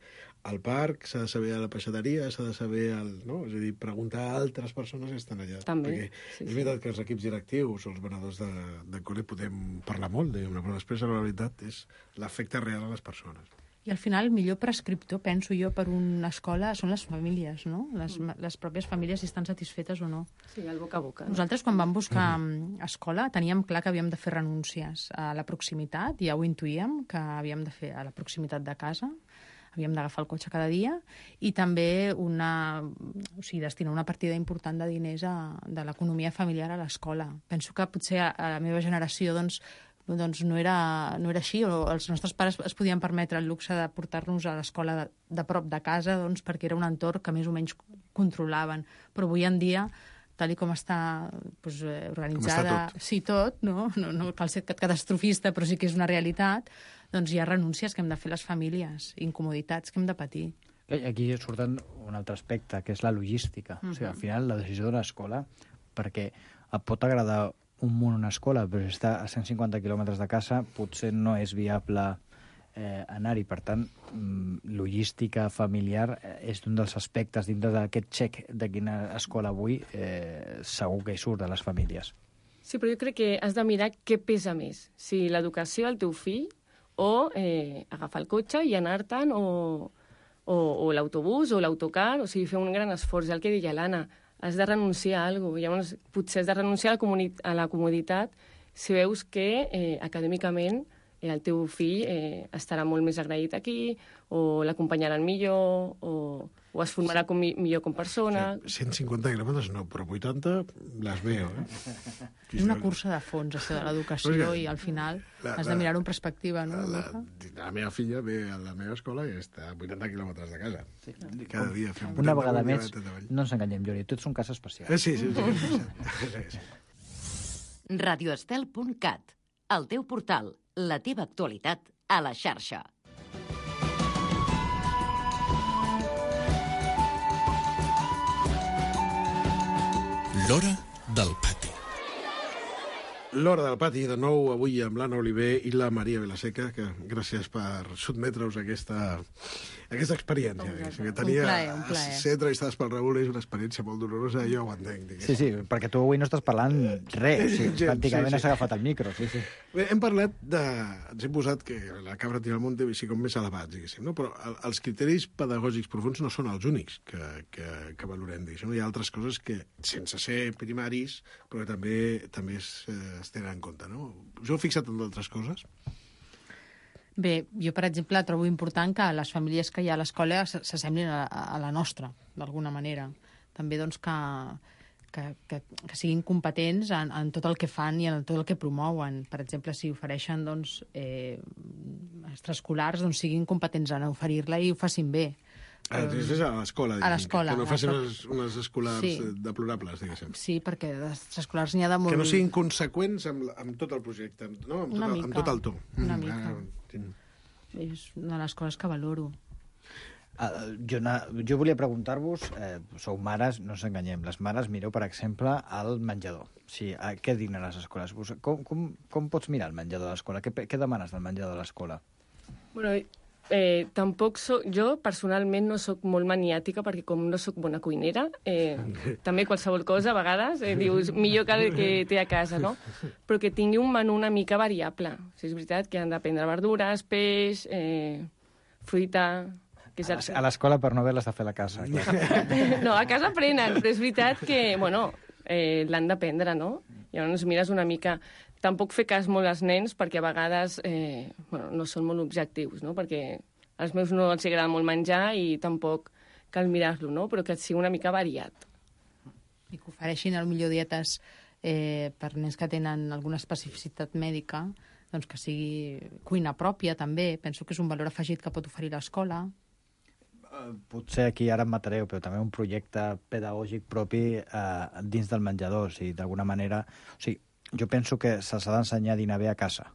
al parc, s'ha de saber a la peixateria, s'ha de saber no? És a dir, preguntar a altres persones que estan allà. També, perquè és veritat que els equips directius o els venedors de col·le podem parlar molt, però després la realitat és l'efecte real a les persones. I al final, el millor prescriptor, penso jo, per una escola són les famílies, no? Les pròpies famílies, si estan satisfetes o no. Sí, el boca a boca. Nosaltres, quan vam buscar escola, teníem clar que havíem de fer renúncies a la proximitat, ja ho intuïem, que havíem de fer a la proximitat de casa, havíem d'agafar el cotxe cada dia, i també destinar una partida important de diners de l'economia familiar a l'escola. Penso que potser a la meva generació, doncs no era així, o els nostres pares es podien permetre el luxe de portar-nos a l'escola de prop de casa, doncs, perquè era un entorn que més o menys controlaven. Però avui en dia, tal com està organitzada... Com està tot. Sí, tot, no cal ser catastrofista, però sí que és una realitat, doncs hi ha renúncies que hem de fer les famílies, incomoditats que hem de patir. Aquí surt un altre aspecte, que és la logística. O sigui, al final, la decisió d'una escola, perquè et pot agradar un munt una escola, però si està a 150 quilòmetres de casa, potser no és viable anar-hi. Per tant, logística familiar és un dels aspectes dintre d'aquest xec de quina escola vull, segur que hi surt de les famílies. Sí, però jo crec que has de mirar què pesa més, si l'educació del teu fill o agafar el cotxe i anar-te'n o l'autobús o l'autocar, o sigui, fer un gran esforç, el que deia l'Anna, has de renunciar a alguna cosa. Llavors, potser has de renunciar a la comoditat si veus que acadèmicament el teu fill estarà molt més agraït aquí, o l'acompanyaran millor, o o es formarà millor com persona. 150 grams no, però 80 les veo. És una cursa de fons, això de l'educació, i al final has de mirar-ho en perspectiva, no? La meva filla ve a la meva escola i està a 80 quilòmetres de casa. Cada dia fem una vegada més, no ens enganyem, Jordi, tu ets un cas especial. Sí. radioestel.cat, el teu portal, la teva actualitat a la xarxa. L'hora del pati. L'hora del pati, de nou, avui amb l'Anna Oliver i la Maria Vilaseca, que gràcies per sotmetre-us a aquesta experiència. Que tenia un plaer. Ser entrevistades pel Raül és una experiència molt dolorosa, jo ho entenc. Sí, perquè tu avui no estàs parlant res, pràcticament has agafat el micro. Bé, hem parlat ens hem posat que la cabra tira al monte com més elevats, diguéssim, no? Però els criteris pedagògics profuns no són els únics que valorem, diguéssim. Hi ha altres coses que, sense ser primaris, però que també es tenen en compte, no? Us heu fixat en d'altres coses? Bé, jo, per exemple, trobo important que les famílies que hi ha a l'escola s'assemblin a la nostra, d'alguna manera. També, doncs, que siguin competents en tot el que fan i en tot el que promouen. Per exemple, si ofereixen, doncs, extraescolars, doncs, siguin competents en oferir-la i ho facin bé. A l'escola, a l'escola. Que no facin unes escolars deplorables, diguéssim. Sí, perquè d'escolars n'hi ha de molt... Que no siguin conseqüents amb tot el projecte, no? Amb tot el to. Una mica. És una de les coses que valoro. Jo volia preguntar-vos, sou mares, no ens enganyem, les mares mireu, per exemple, al menjador. Sí, què dignen les escoles? Com pots mirar el menjador de l'escola? Què demanes del menjador de l'escola? Bueno, tampoc jo personalment no sóc molt maniàtica perquè com no sóc bona cuinera, també qualsevol cosa a vegades dius millor que el que té a casa, no? Però que tingui un menú una mica variable. O sigui, és veritat que han de prendre verdures, peix, fruita... A l'escola per no haver-les de fer a la casa. No, a casa aprenen, però és veritat que, bueno, l'han d'aprendre, no? Llavors mires una mica... Tampoc fer cas molt als nens perquè a vegades no són molt objectius, no? Perquè als meus no els agrada molt menjar i tampoc cal mirar-lo, no? Però que sigui una mica variat. I que ofereixin potser dietes per nens que tenen alguna especificitat mèdica, doncs que sigui cuina pròpia també. Penso que és un valor afegit que pot oferir l'escola. Potser aquí ara em matareu, però també un projecte pedagògic propi dins del menjador. O sigui, d'alguna manera... O sigui, jo penso que s'ha d'ensenyar a dinar bé a casa,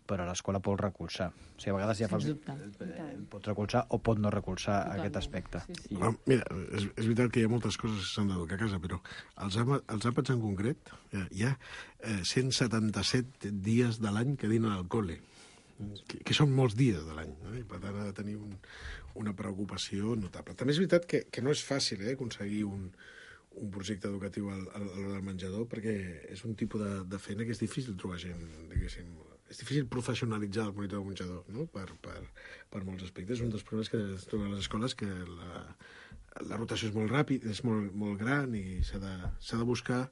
però l'escola pot recolzar. O sigui, a vegades ja pot recolzar o pot no recolzar aquest aspecte. Sí. Mira, és veritat que hi ha moltes coses que s'han d'educar a casa, però els àpats en concret, hi ha 177 dies de l'any que dinen al col·le, que són molts dies de l'any, no? I per tant ha de tenir una preocupació notable. També és veritat que no és fàcil aconseguir un projecte educatiu al menjador, perquè és un tipus de feina que és difícil trobar gent, diguéssim. És difícil professionalitzar el monitor de menjador, no? Per molts aspectes. Un dels problemes que es troben a les escoles que la rotació és molt ràpida, és molt gran i s'ha de buscar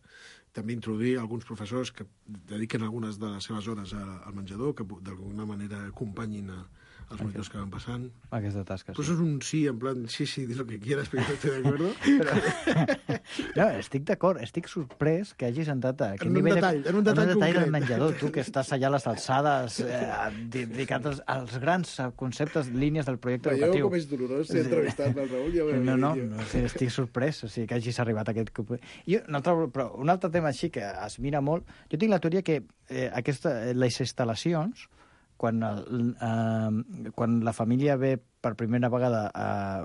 també introduir alguns professors que dediquen algunes de les seves hores al menjador, que d'alguna manera acompanyin els monitors que van passant. Aquesta tasca, sí. Però és un sí, en plan, sí, di lo que quieras, però no estoy de acuerdo. No, estic d'acord, estic sorprès que hagis entrat a aquest nivell en un detall del menjador, tu que estàs allà a les alçades dedicat als grans conceptes, línies del projecte educatiu. Veieu com és dolorós ser entrevistat pel Raül? Ja no, estic sorprès, o sigui, que hagis arribat a aquest... Però un altre tema així que es mira molt, jo tinc la teoria que les instal·lacions, quan la família ve per primera vegada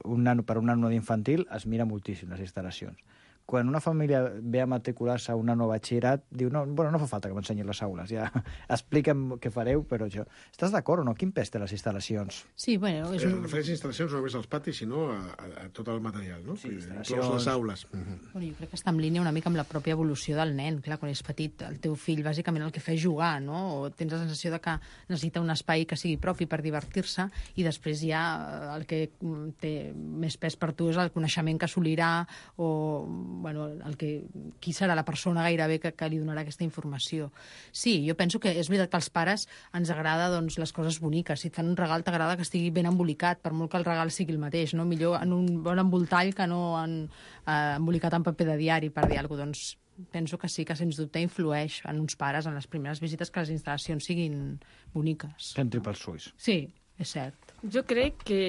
per un nano d'infantil, es mira moltíssim les instal·lacions. Quan una família ve a matricular-se a una nova batxillerat, diu, no fa falta que m'ensenyin les aules, ja explica'm què fareu, però això... Estàs d'acord o no? Quin pes té les instal·lacions? Sí, bueno... Refereix a instal·lacions no només als patis, sinó a tot el material, no? Sí, inclús les aules. Bueno, jo crec que està en línia una mica amb la pròpia evolució del nen. Clar, quan és petit, el teu fill bàsicament el que fa és jugar, no? O tens la sensació de que necessita un espai que sigui propi per divertir-se i després ja el que té més pes per tu és el coneixement que assolirà o qui serà la persona gairebé que li donarà aquesta informació. Sí, jo penso que és veritat que als pares ens agrada doncs, les coses boniques. Si et fan un regal t'agrada que estigui ben embolicat, per molt que el regal sigui el mateix, no? Millor en un bon emboltall que no embolicat en paper de diari, per dir alguna cosa. Doncs penso que sí, que sens dubte influeix en uns pares en les primeres visites que les instal·lacions siguin boniques. Que entri pels ulls. Sí, és cert. Jo crec que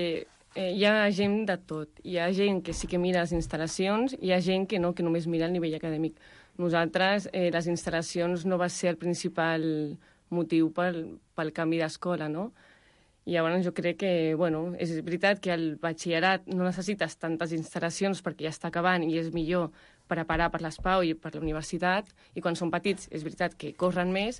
hi ha gent de tot. Hi ha gent que sí que mira les instal·lacions, hi ha gent que no, que només mira el nivell acadèmic. Nosaltres, les instal·lacions no va ser el principal motiu pel canvi d'escola, no? I llavors jo crec que, bueno, és veritat que al batxillerat no necessites tantes instal·lacions perquè ja està acabant i és millor preparar per l'ESPAU i per la universitat, i quan són petits és veritat que corren més,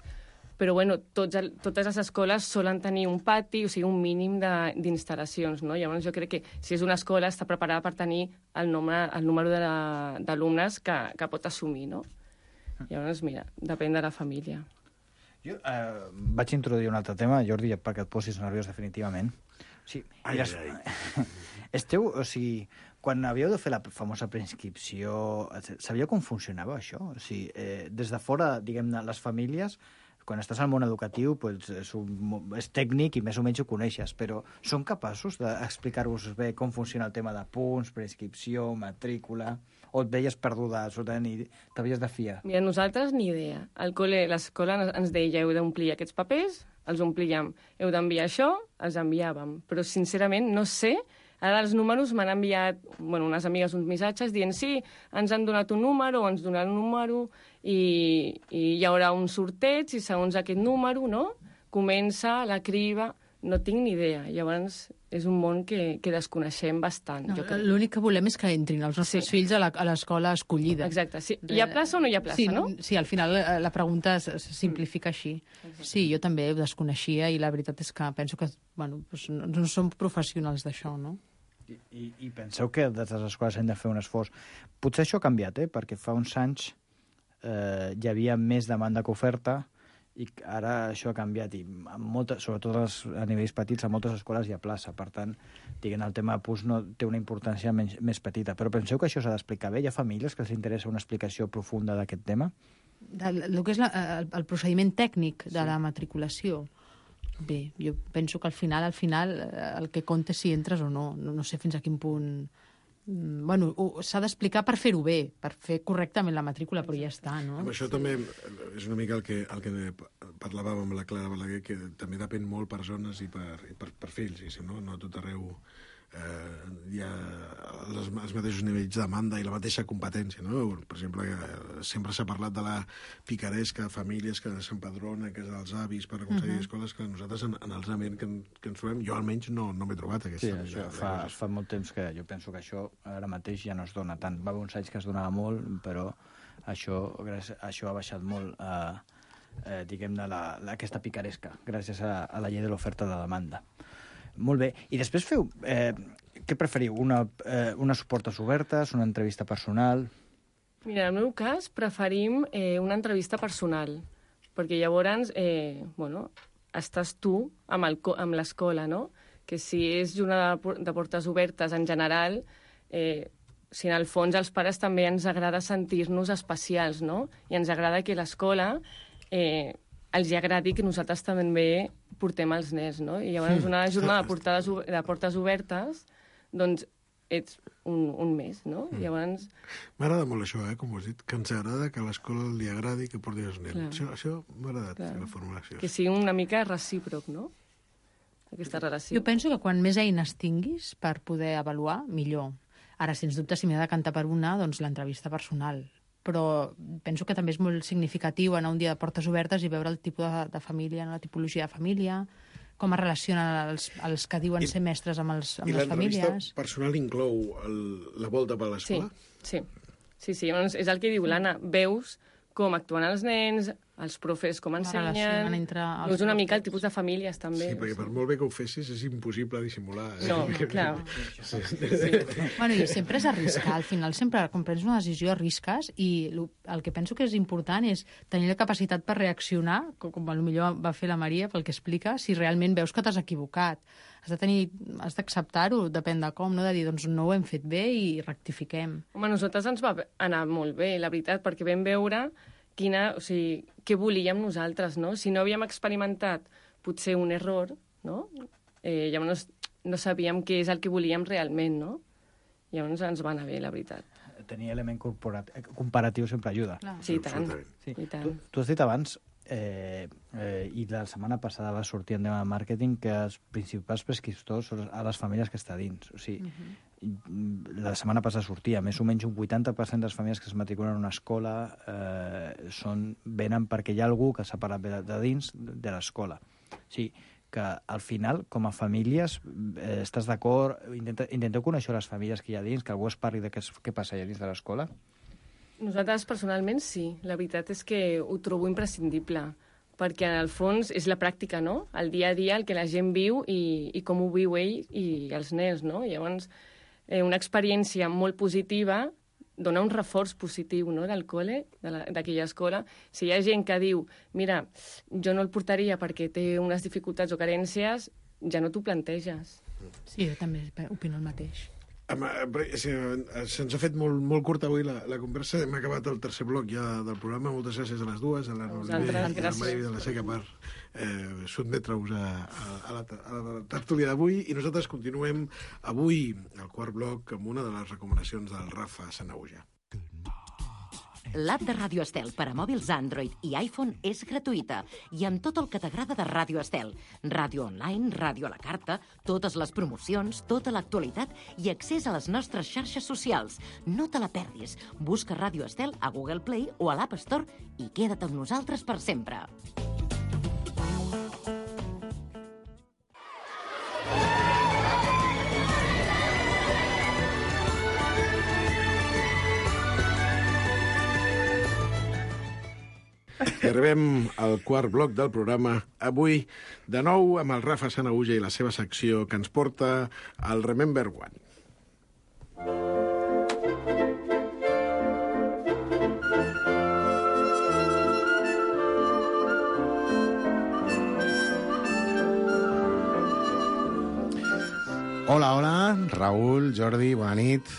però bueno, totes les escoles solen tenir un pati, o sigui, un mínim d'instal·lacions, no? Llavors jo crec que si és una escola està preparada per tenir el número d'alumnes que pot assumir, no? Llavors, mira, depèn de la família. Jo vaig introduir un altre tema, Jordi, perquè et posis nerviós definitivament. Sí, esteu, o sigui, quan havíeu de fer la famosa preinscripció, sabíeu com funcionava això? O sigui, des de fora, diguem-ne, les famílies, quan estàs al món educatiu, pues, és tècnic i més o menys ho coneixes, però són capaços d'explicar-vos bé com funciona el tema de punts, preinscripció, matrícula, o et veies perduda absolutament i t'havies de fiar? Mira, nosaltres ni idea. Al col·le, l'escola ens deia heu d'omplir aquests papers, els omplíem. Heu d'enviar això, els enviàvem. Però, sincerament, no sé. Ara els números m'han enviat, bueno, unes amigues uns missatges dient sí, ens han donat un número, ens donaran un número i hi haurà un sorteig i segons aquest número, no?, comença la criba. No tinc ni idea. Llavors, és un món que desconeixem bastant. No, l'únic que volem és que entrin els nostres fills a l'escola escollida. Exacte. Sí. Hi ha plaça o no hi ha plaça, sí, no? Sí, al final la pregunta se simplifica així. Sí, jo també ho desconeixia i la veritat és que penso que bueno, doncs no som professionals d'això, no? I penseu que des de les escoles hem de fer un esforç. Potser això ha canviat, perquè fa uns anys hi havia més demanda que oferta, i ara això ha canviat i sobretot a nivells petits a moltes escoles hi ha plaça, per tant el tema de PUS no té una importància més petita, però penseu que això s'ha d'explicar bé? Hi ha famílies que els interessa una explicació profunda d'aquest tema? El que és el procediment tècnic de la matriculació, bé, jo penso que al final el que compta és si entres o no, no sé fins a quin punt. Bueno, s'ha d'explicar per fer-ho bé, per fer correctament la matrícula, però ja està, no? Amb això també és una mica el que parlàvem amb la Clara Balaguer, que també depèn molt per zones i per fills, no a tot arreu hi ha els mateixos nivells de demanda i la mateixa competència, no? Per exemple, sempre s'ha parlat de la picaresca, famílies que s'empadronen, que és dels avis per aconseguir escoles, que nosaltres en els ambients que ens trobem, jo almenys no m'he trobat aquesta. Sí, això fa molt temps que jo penso que això ara mateix ja no es dona tant. Va haver uns anys que es donava molt, però això ha baixat molt, diguem-ne, aquesta picaresca, gràcies a la llei de l'oferta de demanda. Molt bé. I després feu... què preferiu? Unes portes obertes, una entrevista personal? Mira, en el meu cas preferim una entrevista personal, perquè llavors estàs tu amb l'escola, no? Que si és una de portes obertes en general, si en el fons als pares també ens agrada sentir-nos especials, no? I ens agrada que l'escola els agradi que nosaltres també portem els nens, no? I llavors una jornada de portes obertes, doncs ets un mes, no? Llavors... M'agrada molt això, com ho has dit, que ens agrada que a l'escola li agradi que porti els nens. Això m'ha agradat, la formulació. Que sigui una mica recíproc, no? Aquesta relació. Jo penso que quan més eines tinguis per poder avaluar, millor. Ara, sens dubte, si m'he de decantar per una, doncs l'entrevista personal. Però penso que també és molt significatiu anar un dia de portes obertes i veure el tipus de família, la tipologia de família, com es relacionen els que diuen ser mestres amb les famílies. I l'entrevista personal inclou la volta per l'escola? Sí. És el que diu l'Anna. Veus com actuen els nens, els profes com ensenyen, és una mica el tipus de famílies, també. Sí, perquè per molt bé que ho fessis és impossible dissimular. No, clar. Sí. Bueno, i sempre és arriscar. Al final, sempre, quan prens una decisió, arrisques, i el que penso que és important és tenir la capacitat per reaccionar, com potser va fer la Maria, pel que explica, si realment veus que t'has equivocat. Has d'acceptar-ho, depèn de com, no? De dir, doncs no ho hem fet bé i rectifiquem. Home, a nosaltres ens va anar molt bé, la veritat, perquè vam veure què volíem nosaltres, no? Si no havíem experimentat potser un error, no? Llavors no sabíem què és el que volíem realment, no? Llavors ens va anar bé, la veritat. Tenir element comparatiu sempre ajuda. Sí, i tant. Sí. Tu has dit abans, i la setmana passada va sortir en tema de màrqueting, que els principals prescriptors són a les famílies que està dins. O sigui, la setmana passada sortia, més o menys un 80% de les famílies que es matriculen en una escola venen perquè hi ha algú que s'ha parat de dins de l'escola. O sigui, que al final, com a famílies, estàs d'acord? Intenteu conèixer les famílies que hi ha dins, que algú es parli de què passa allà dins de l'escola? Nosaltres, personalment, sí. La veritat és que ho trobo imprescindible, perquè, en el fons, és la pràctica, no? El dia a dia, el que la gent viu i com ho viu ell i els nens, no? Llavors, una experiència molt positiva dona un reforç positiu, no?, del col·le, d'aquella escola. Si hi ha gent que diu, mira, jo no el portaria perquè té unes dificultats o carències, ja no t'ho planteges. Sí, jo també opino el mateix. Se'ns ha fet molt curta avui la conversa. Hem acabat el tercer bloc ja del programa. Moltes gràcies a les dues, a la Núria i a la Maria de la Seca, per sotmetre-us a la tertúlia d'avui. I nosaltres continuem avui al quart bloc amb una de les recomanacions del Rafa Sanahuja. L'app de Ràdio Estel per a mòbils Android i iPhone és gratuïta i amb tot el que t'agrada de Ràdio Estel. Ràdio online, ràdio a la carta, totes les promocions, tota l'actualitat i accés a les nostres xarxes socials. No te la perdis. Busca Ràdio Estel a Google Play o a l'App Store i queda't amb nosaltres per sempre. I arribem al quart bloc del programa. Avui, de nou, amb el Rafa Sanahuja i la seva secció que ens porta al Remember One. Hola, hola, Raül, Jordi, bona nit.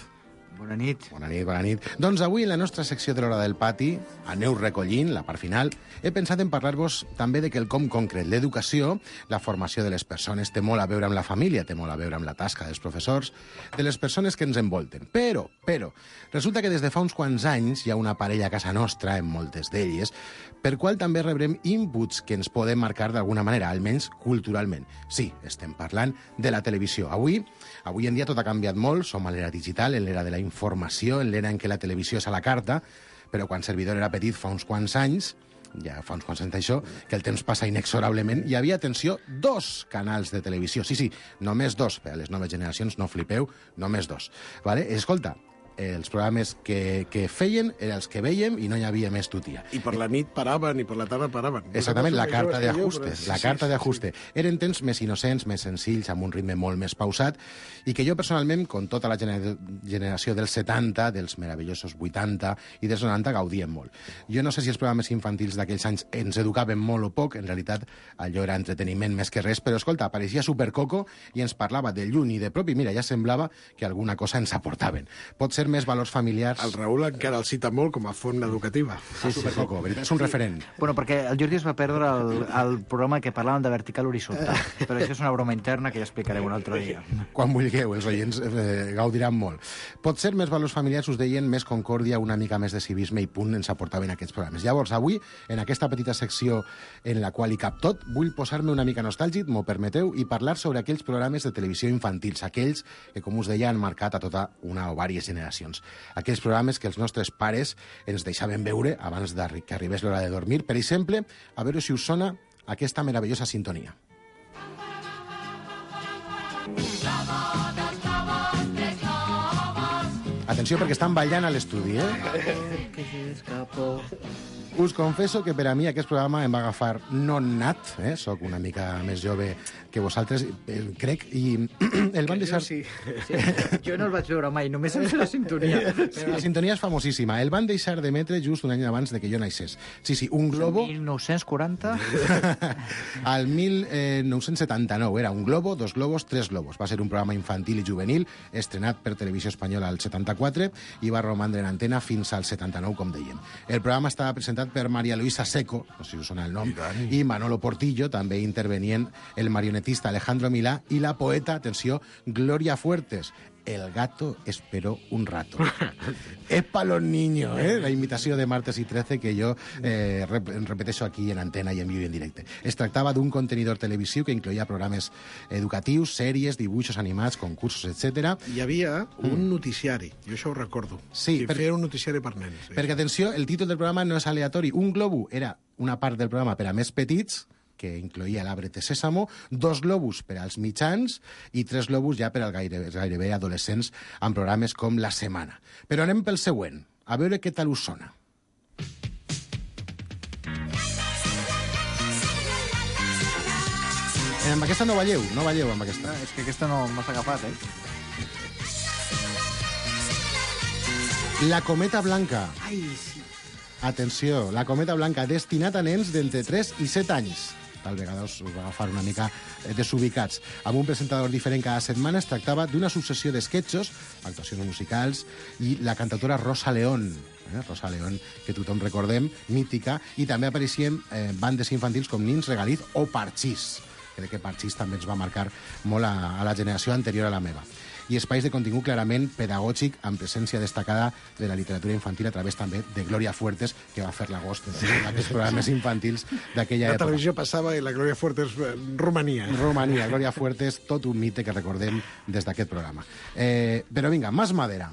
Bona nit. Bona nit, bona nit. Doncs avui, en la nostra secció de l'Hora del Pati, aneu recollint, la part final, he pensat en parlar-vos també de quelcom concret. L'educació, la formació de les persones, té molt a veure amb la família, té molt a veure amb la tasca dels professors, de les persones que ens envolten. Però, resulta que des de fa uns quants anys hi ha una parella a casa nostra, en moltes d'elles, per qual també rebrem inputs que ens poden marcar d'alguna manera, almenys culturalment. Sí, estem parlant de la televisió. Avui en dia tot ha canviat molt, som a l'era digital, en l'era de la informació, en l'era en què la televisió és a la carta, però quan Servidor era petit fa uns quants anys, això, que el temps passa inexorablement, hi havia, atenció, 2 canals de televisió. Sí, només 2. Per a les noves generacions, no flipeu, només 2. Vale? Escolta, els programes que feien eren els que veiem i no hi havia més tutia. I per la nit paraven i per la tarda paraven. Exactament, la carta d'ajuste. Eren temps més innocents, més senzills, amb un ritme molt més pausat, i que jo personalment, com tota la generació dels 70, dels meravellosos 80 i dels 90, gaudien molt. Jo no sé si els programes infantils d'aquells anys ens educaven molt o poc, en realitat allò era entreteniment més que res, però escolta, apareixia Supercoco i ens parlava de lluny i de prop, i mira, ja semblava que alguna cosa ens aportaven. Pot ser més valors familiars. El Raül encara el cita molt com a font educativa. Sí. Supercoco, veritat, és un referent. Bueno, perquè el Jordi es va perdre el programa que parlàvem de vertical horitzontal, però això és una broma interna que ja explicarem un altre dia. Quan vulgueu, els oients gaudiran molt. Pot ser més valors familiars, us deien, més concòrdia, una mica més de civisme i punt ens aportaven aquests programes. Llavors, avui, en aquesta petita secció en la qual hi cap tot, vull posar-me una mica nostàlgic, m'ho permeteu, i parlar sobre aquells programes de televisió infantils, aquells que, com us deia, han marcat a tota una o diverses generacions. Aquells programes que els nostres pares ens deixaven veure abans que arribés l'hora de dormir. Per exemple, a veure si us sona aquesta meravellosa sintonia. Atenció, perquè estan ballant a l'estudi, Que se escapó Us confesso que per a mi aquest programa em va agafar no nat, soc una mica més jove que vosaltres, crec, i el van deixar... Sí. Jo no el vaig veure mai, només em sé la sintonia. Però la sintonia és famosíssima. El van deixar d'emetre just un any abans de que jo naixés. Sí, un globo... 1940? Al 1979. Era un globo, 2 globos, 3 globos. Va ser un programa infantil i juvenil, estrenat per Televisió Espanyola al 74 i va romandre en antena fins al 79, com dèiem. El programa estava presentat per María Luisa Seco, no sé si us sona el nom, i Manolo Portillo. També intervenien el marionetista Alejandro Milá i la poeta, atenció, Gloria Fuertes. El gato esperó un rato. És pa los niños, la imitació de Martes i 13 que jo repeteixo aquí en antena i en viu i en directe. Es tractava d'un contenidor televisiu que incloïa programes educatius, sèries, dibuixos animats, concursos, etc. Hi havia un noticiari, jo això ho recordo. Sí, que feia un noticiari per nens. Sí. Perquè, atenció, el títol del programa no és aleatori. Un globo era una part del programa per a més petits, que incloïa l'Arbre de Sésamo, 2 globus per als mitjans i 3 globus ja per als gairebé adolescents amb programes com La Setmana. Però anem pel següent, a veure què tal us sona. Amb aquesta no balleu amb aquesta. És que aquesta no m'has agafat, La Cometa Blanca. Ai, sí. Atenció, La Cometa Blanca, destinat a nens d'entre 3 i 7 anys. Tal vegada us va agafar una mica desubicats. Amb un presentador diferent cada setmana es tractava d'una successió d'esquetxos, actuacions musicals, i la cantautora Rosa León, Rosa León, que tothom recordem, mítica, i també apareixien bandes infantils com Nins Regaliz o Parchís. Crec que Parchís també ens va marcar molt a la generació anterior a la meva. I espais de contingut clarament pedagògic amb presència destacada de la literatura infantil a través també de Gloria Fuertes, que va fer l'agost d'aquests programes infantils d'aquella època. La televisió passava i la Gloria Fuertes romania. Romania, Gloria Fuertes, tot un mite que recordem des d'aquest programa. Però vinga, más madera.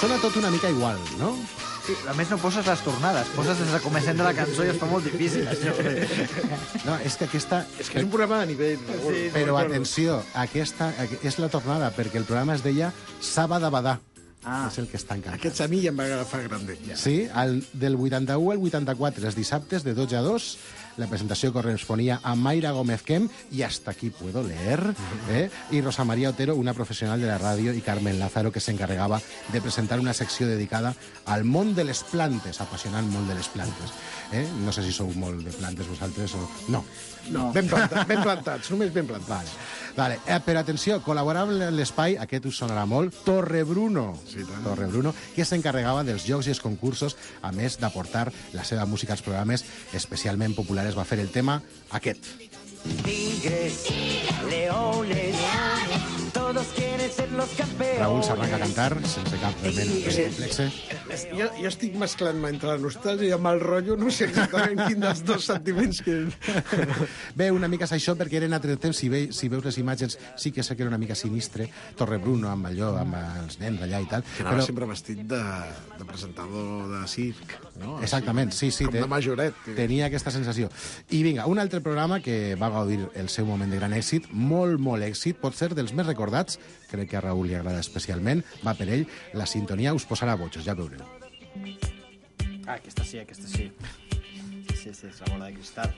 Sona tot una mica igual, no? Sí, a més no poses les tornades, poses des de començament de la cançó i es fa molt difícil, això. No, és que aquesta... És que és un programa de nivell. Sí, però atenció, aquesta és la tornada, perquè el programa es deia Sabadabadà. És el que està encantat. Aquest a mi ja em va agafar grande. Ja. Sí, del 81 al 84, els dissabtes de 12 a 2, la presentació corresponia a Mayra Gómez Kem, i hasta aquí puedo leer, i Rosa María Otero, una professional de la ràdio, i Carmen Lázaro, que s'encarregava de presentar una secció dedicada al món de les plantes, apassionant món de les plantes. No sé si sou molt de plantes vosaltres o... No. Ben plantats, només ben plantats. Vale. Però atenció, col·laborava en l'espai, aquest us sonarà molt, Torrebruno. Sí, Torrebruno, que s'encarregava dels jocs i els concursos, a més d'aportar la seva música als programes especialment populars. Va fer el tema aquest. Tigres, leones, todos quieren ser los campeones. Raúl s'arranca a cantar sense cap complexe. Jo estic mesclant entre la nostàlgia i el mal rotllo, no sé exactament quin dels dos sentiments que... Bé, una mica és això, perquè eren altres temps, si veus les imatges, sí que sé que era una mica sinistre, Torrebruno amb allò, amb els nens allà i tal. Que anava sempre vestit de presentador de circ, no? Exactament, sí. Com de majoret. Tenia aquesta sensació. I vinga, un altre programa que va gaudir el seu moment de gran èxit, molt èxit, pot ser dels més recordats, crec que a Raül li agrada especialment, va per ell, la sintonia us posarà bojos, ja veureu. Aquesta sí. Sí, és la bola de cristal.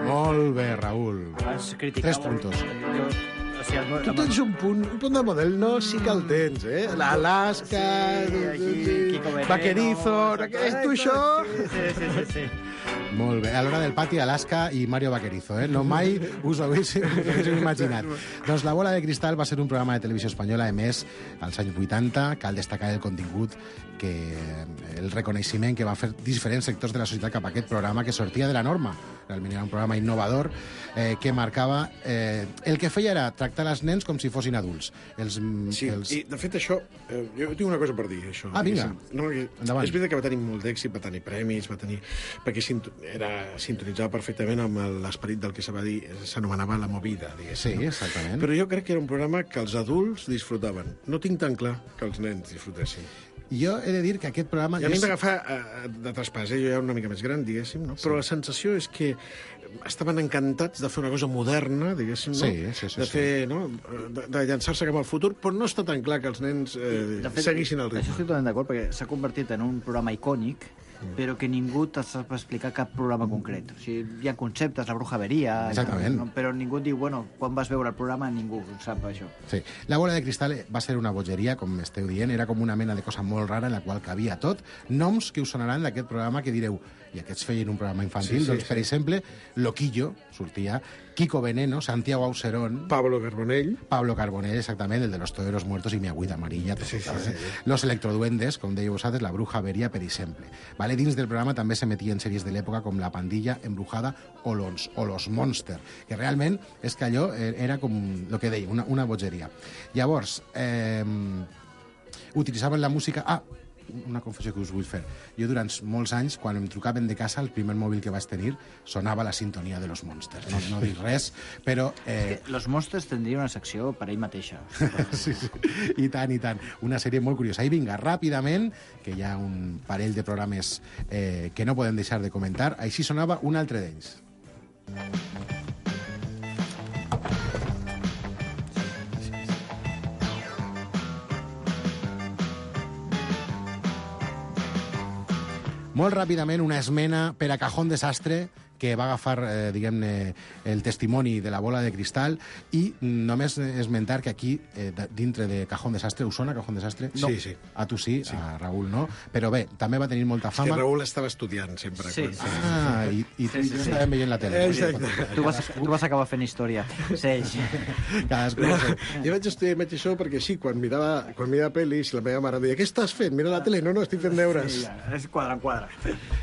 Molt bé, Raül. 3 puntos. Tu tens un punt de model, no? Sí que el tens, L'Alaska, Vaquerizo... És tu això? Sí. Molt bé. A l'hora del pati, Alaska i Mario Vaquerizo, No mai us ho haguéssiu imaginat. Doncs La bola de cristal va ser un programa de televisió espanyola emès als anys 80. Cal destacar el contingut, el reconeixement que va fer diferents sectors de la societat cap a aquest programa, que sortia de la norma. Realment era un programa innovador que marcava... el que feia era tractar els nens com si fossin adults. I de fet això... Jo tinc una cosa per dir, això. Vinga. És veritat que va tenir molt d'èxit, va tenir premis, perquè sintonitzava perfectament amb l'esperit del que s'anomenava la movida, diguéssim. Sí, exactament. Però jo crec que era un programa que els adults disfrutaven. No tinc tan clar que els nens disfrutessin. Jo he de dir que aquest programa... I a mi m'agafar de traspàs, jo ja una mica més gran, diguéssim, no? Però la sensació és que estaven encantats de fer una cosa moderna, diguéssim, no? De fer, no? De llançar-se cap al futur, però no està tan clar que els nens seguissin el ritme. Això estic totalment d'acord, perquè s'ha convertit en un programa icònic, però que ningú te sap explicar cap programa concret. O sigui, hi ha conceptes, la brujeria... Exactament. Però ningú diu, bueno, quan vas veure el programa ningú sap això. Sí. La bola de cristal va ser una bogeria, com esteu dient, era com una mena de cosa molt rara en la qual cabia tot. Noms que us sonaran d'aquest programa que direu, i aquests feien un programa infantil, doncs, per exemple, Loquillo, sortia, Kiko Veneno, Santiago Auserón... Pablo Carbonell, exactament, el de los toreros muertos y mi agüita amarilla. Los electroduendes, com dèieu vosaltres, la bruja averia, per exemple. Vale? Dins del programa també s'emetien sèries de l'època com La Pandilla Embrujada o Los Monster, que realment és que allò era com el que deia, una bogeria. Llavors, utilitzaven la música... una confessió que us vull fer. Jo durant molts anys, quan em trucaven de casa, el primer mòbil que vaig tenir sonava la sintonia de Los Monsters. No dic res, però... Los Monsters tindria una secció per ell mateixa. Sí. I tant, i tant. Una sèrie molt curiosa. I vinga, ràpidament, que hi ha un parell de programes que no podem deixar de comentar. Així sonava un altre d'ells. Molt ràpidament, una esmena per a Cajón Desastre, que va agafar, diguem-ne, el testimoni de la bola de cristal, i només esmentar que aquí, dintre de Cajón Desastre, us sona Cajón Desastre? No. Sí. A tu sí, a Raül no. Però bé, també va tenir molta fama. És que Raül estava estudiant sempre. Sí. I tu estàvem veient la tele. Exacte. Tu vas acabar fent història. Sí. Cadascú. Jo vaig estudiar i això perquè sí, quan mirava pel·lis, la meva mare deia, què estàs fent? Mira la tele. No, estic fent deures. Sí, és quadre en quadre.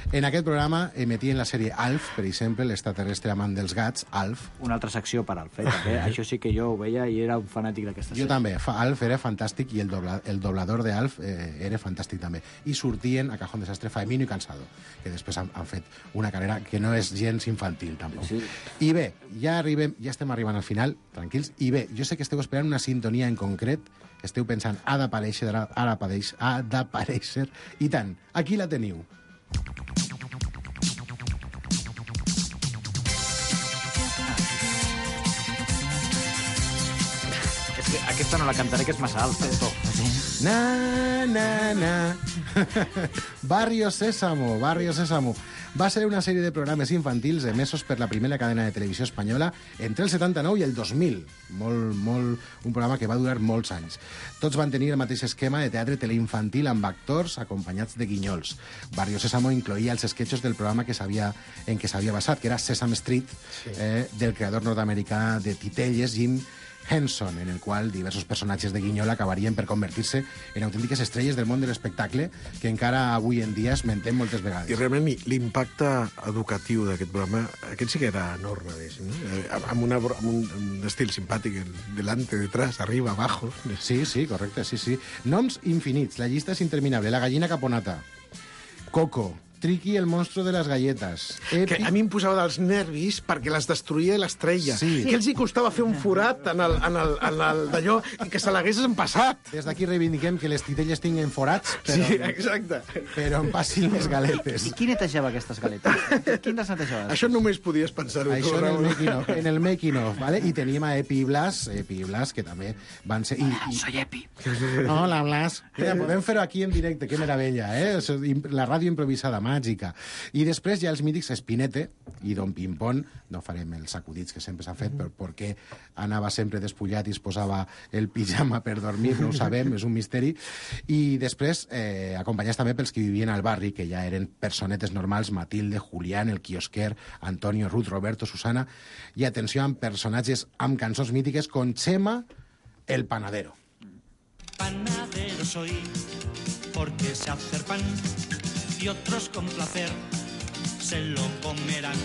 En aquest programa emetien la sèrie Alf, per exemple, l'extraterrestre amant dels gats, Alf. Una altra secció per Alf, també. Això sí que jo ho veia i era un fanàtic d'aquesta sèrie. Jo també. Alf era fantàstic i el doblador d'Alf era fantàstic també. I sortien a Cajón Desastre Faemino i Cansado, que després han fet una carrera que no és gens infantil, tampoc. Sí. I bé, ja estem arribant al final, tranquils, i bé, jo sé que esteu esperant una sintonia en concret, esteu pensant, ha d'aparèixer, i tant, aquí la teniu. Aquesta no la cantaré, que és massa alta. Na, na, na. Barrio Sésamo. Va ser una sèrie de programes infantils emesos per la primera cadena de televisió espanyola entre el 79 i el 2000. Un programa que va durar molts anys. Tots van tenir el mateix esquema de teatre teleinfantil amb actors acompanyats de guinyols. Barrio Sésamo incloïa els esquetxos del programa en què s'havia basat, que era Sesame Street, del creador nord-americà de Titelles, Jim Henson, en el qual diversos personatges de guinyol acabarien per convertir-se en autèntiques estrelles del món de l'espectacle que encara avui en dia esmentem moltes vegades. I realment l'impacte educatiu d'aquest programa, aquest sí que era enorme, no? Amb un estil simpàtic, delante, detrás, arriba, abajo. Sí, correcte, sí. Noms infinits, la llista és interminable. La gallina caponata, Coco, Triqui, el monstruo de les galletes. Que a mi em posava dels nervis perquè les destruïa l'estrella. Sí. Que els hi costava fer un forat en el d'allò i que se l'haguessin passat. Des d'aquí reivindiquem que les titelles tinguin forats, però, sí, exacte. Però en passin les galetes. I qui netejava aquestes galetes? Qui les netejava? Això només podies pensar-ho. Això en el making of, ¿vale? I tenim a Epi i Blas, que també van ser... Soy Epi. Hola, Blas. Mira, podem fer-ho aquí en directe, que meravella, eh? La ràdio improvisada, màgica. I després hi ha els mítics Espinete i Don Pimpón, no farem els acudits que sempre s'ha fet, perquè anava sempre despullat i es posava el pijama per dormir, no ho sabem, és un misteri. I després, acompanyats també pels que vivien al barri, que ja eren personetes normals, Matilde, Julián, el quiosquer, Antonio, Ruth, Roberto, Susana, i atenció amb personatges amb cançons mítiques con Chema, el panadero. Panadero soy, porque sé hacer pan, y otros con placer se lo comerán.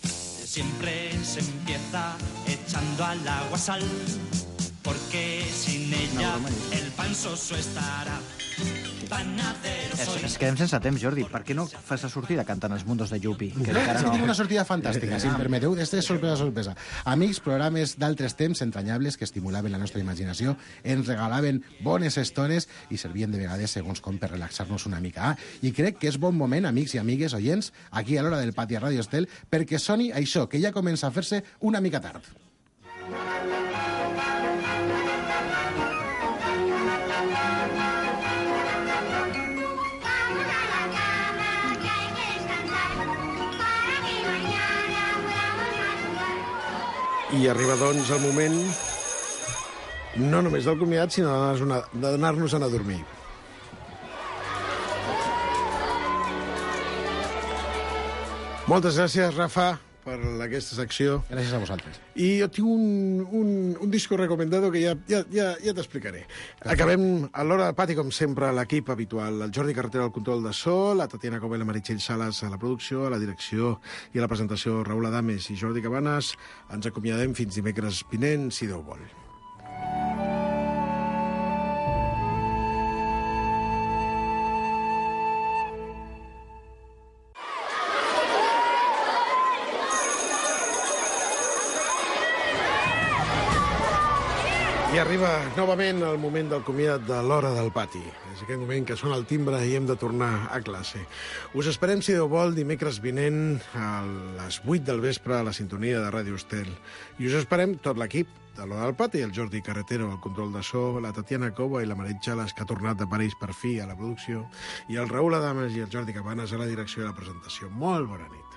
Siempre se empieza echando al agua sal, porque sin ella el pan soso estará. panadero soy. Es quedem sense temps, Jordi. Per què no fas la sortida cantant Els Mundos de Yupi? Que encara no... Tinc una sortida fantàstica, si em permeteu. Este és sorpresa. Amics, programes d'altres temps entranyables que estimulaven la nostra imaginació, ens regalaven bones estones i servien de vegades, segons com, per relaxar-nos una mica. I crec que és bon moment, amics i amigues oients, aquí a l'Hora del Pati a Ràdio Estel, perquè soni això, que ja comença a fer-se una mica tard. I arriba, doncs, el moment no només del comiat, sinó d'anar-nos-en a dormir. Moltes gràcies, Rafa, per aquesta secció. Gràcies a vosaltres. I jo tinc un disco recomendado que ja t'explicaré. Acabem a l'Hora del Pati, com sempre, l'equip habitual. El Jordi Carretera al control de so, la Tatiana Cova i la Meritxell Sales a la producció, a la direcció i a la presentació Raül Adames i Jordi Cabanes. Ens acomiadem fins dimecres vinent, si Déu vol. I arriba novament el moment del comiat de l'Hora del Pati. És aquest moment que sona el timbre i hem de tornar a classe. Us esperem, si Déu vol, dimecres vinent a les 8 del vespre a la sintonia de Ràdio Estel. I us esperem tot l'equip de l'Hora del Pati, el Jordi Carretero al control de so, la Tatiana Cova i la Meritxell Sales, que ha tornat de París per fi a la producció, i el Raül Adames i el Jordi Cabanes a la direcció i la presentació. Molt bona nit.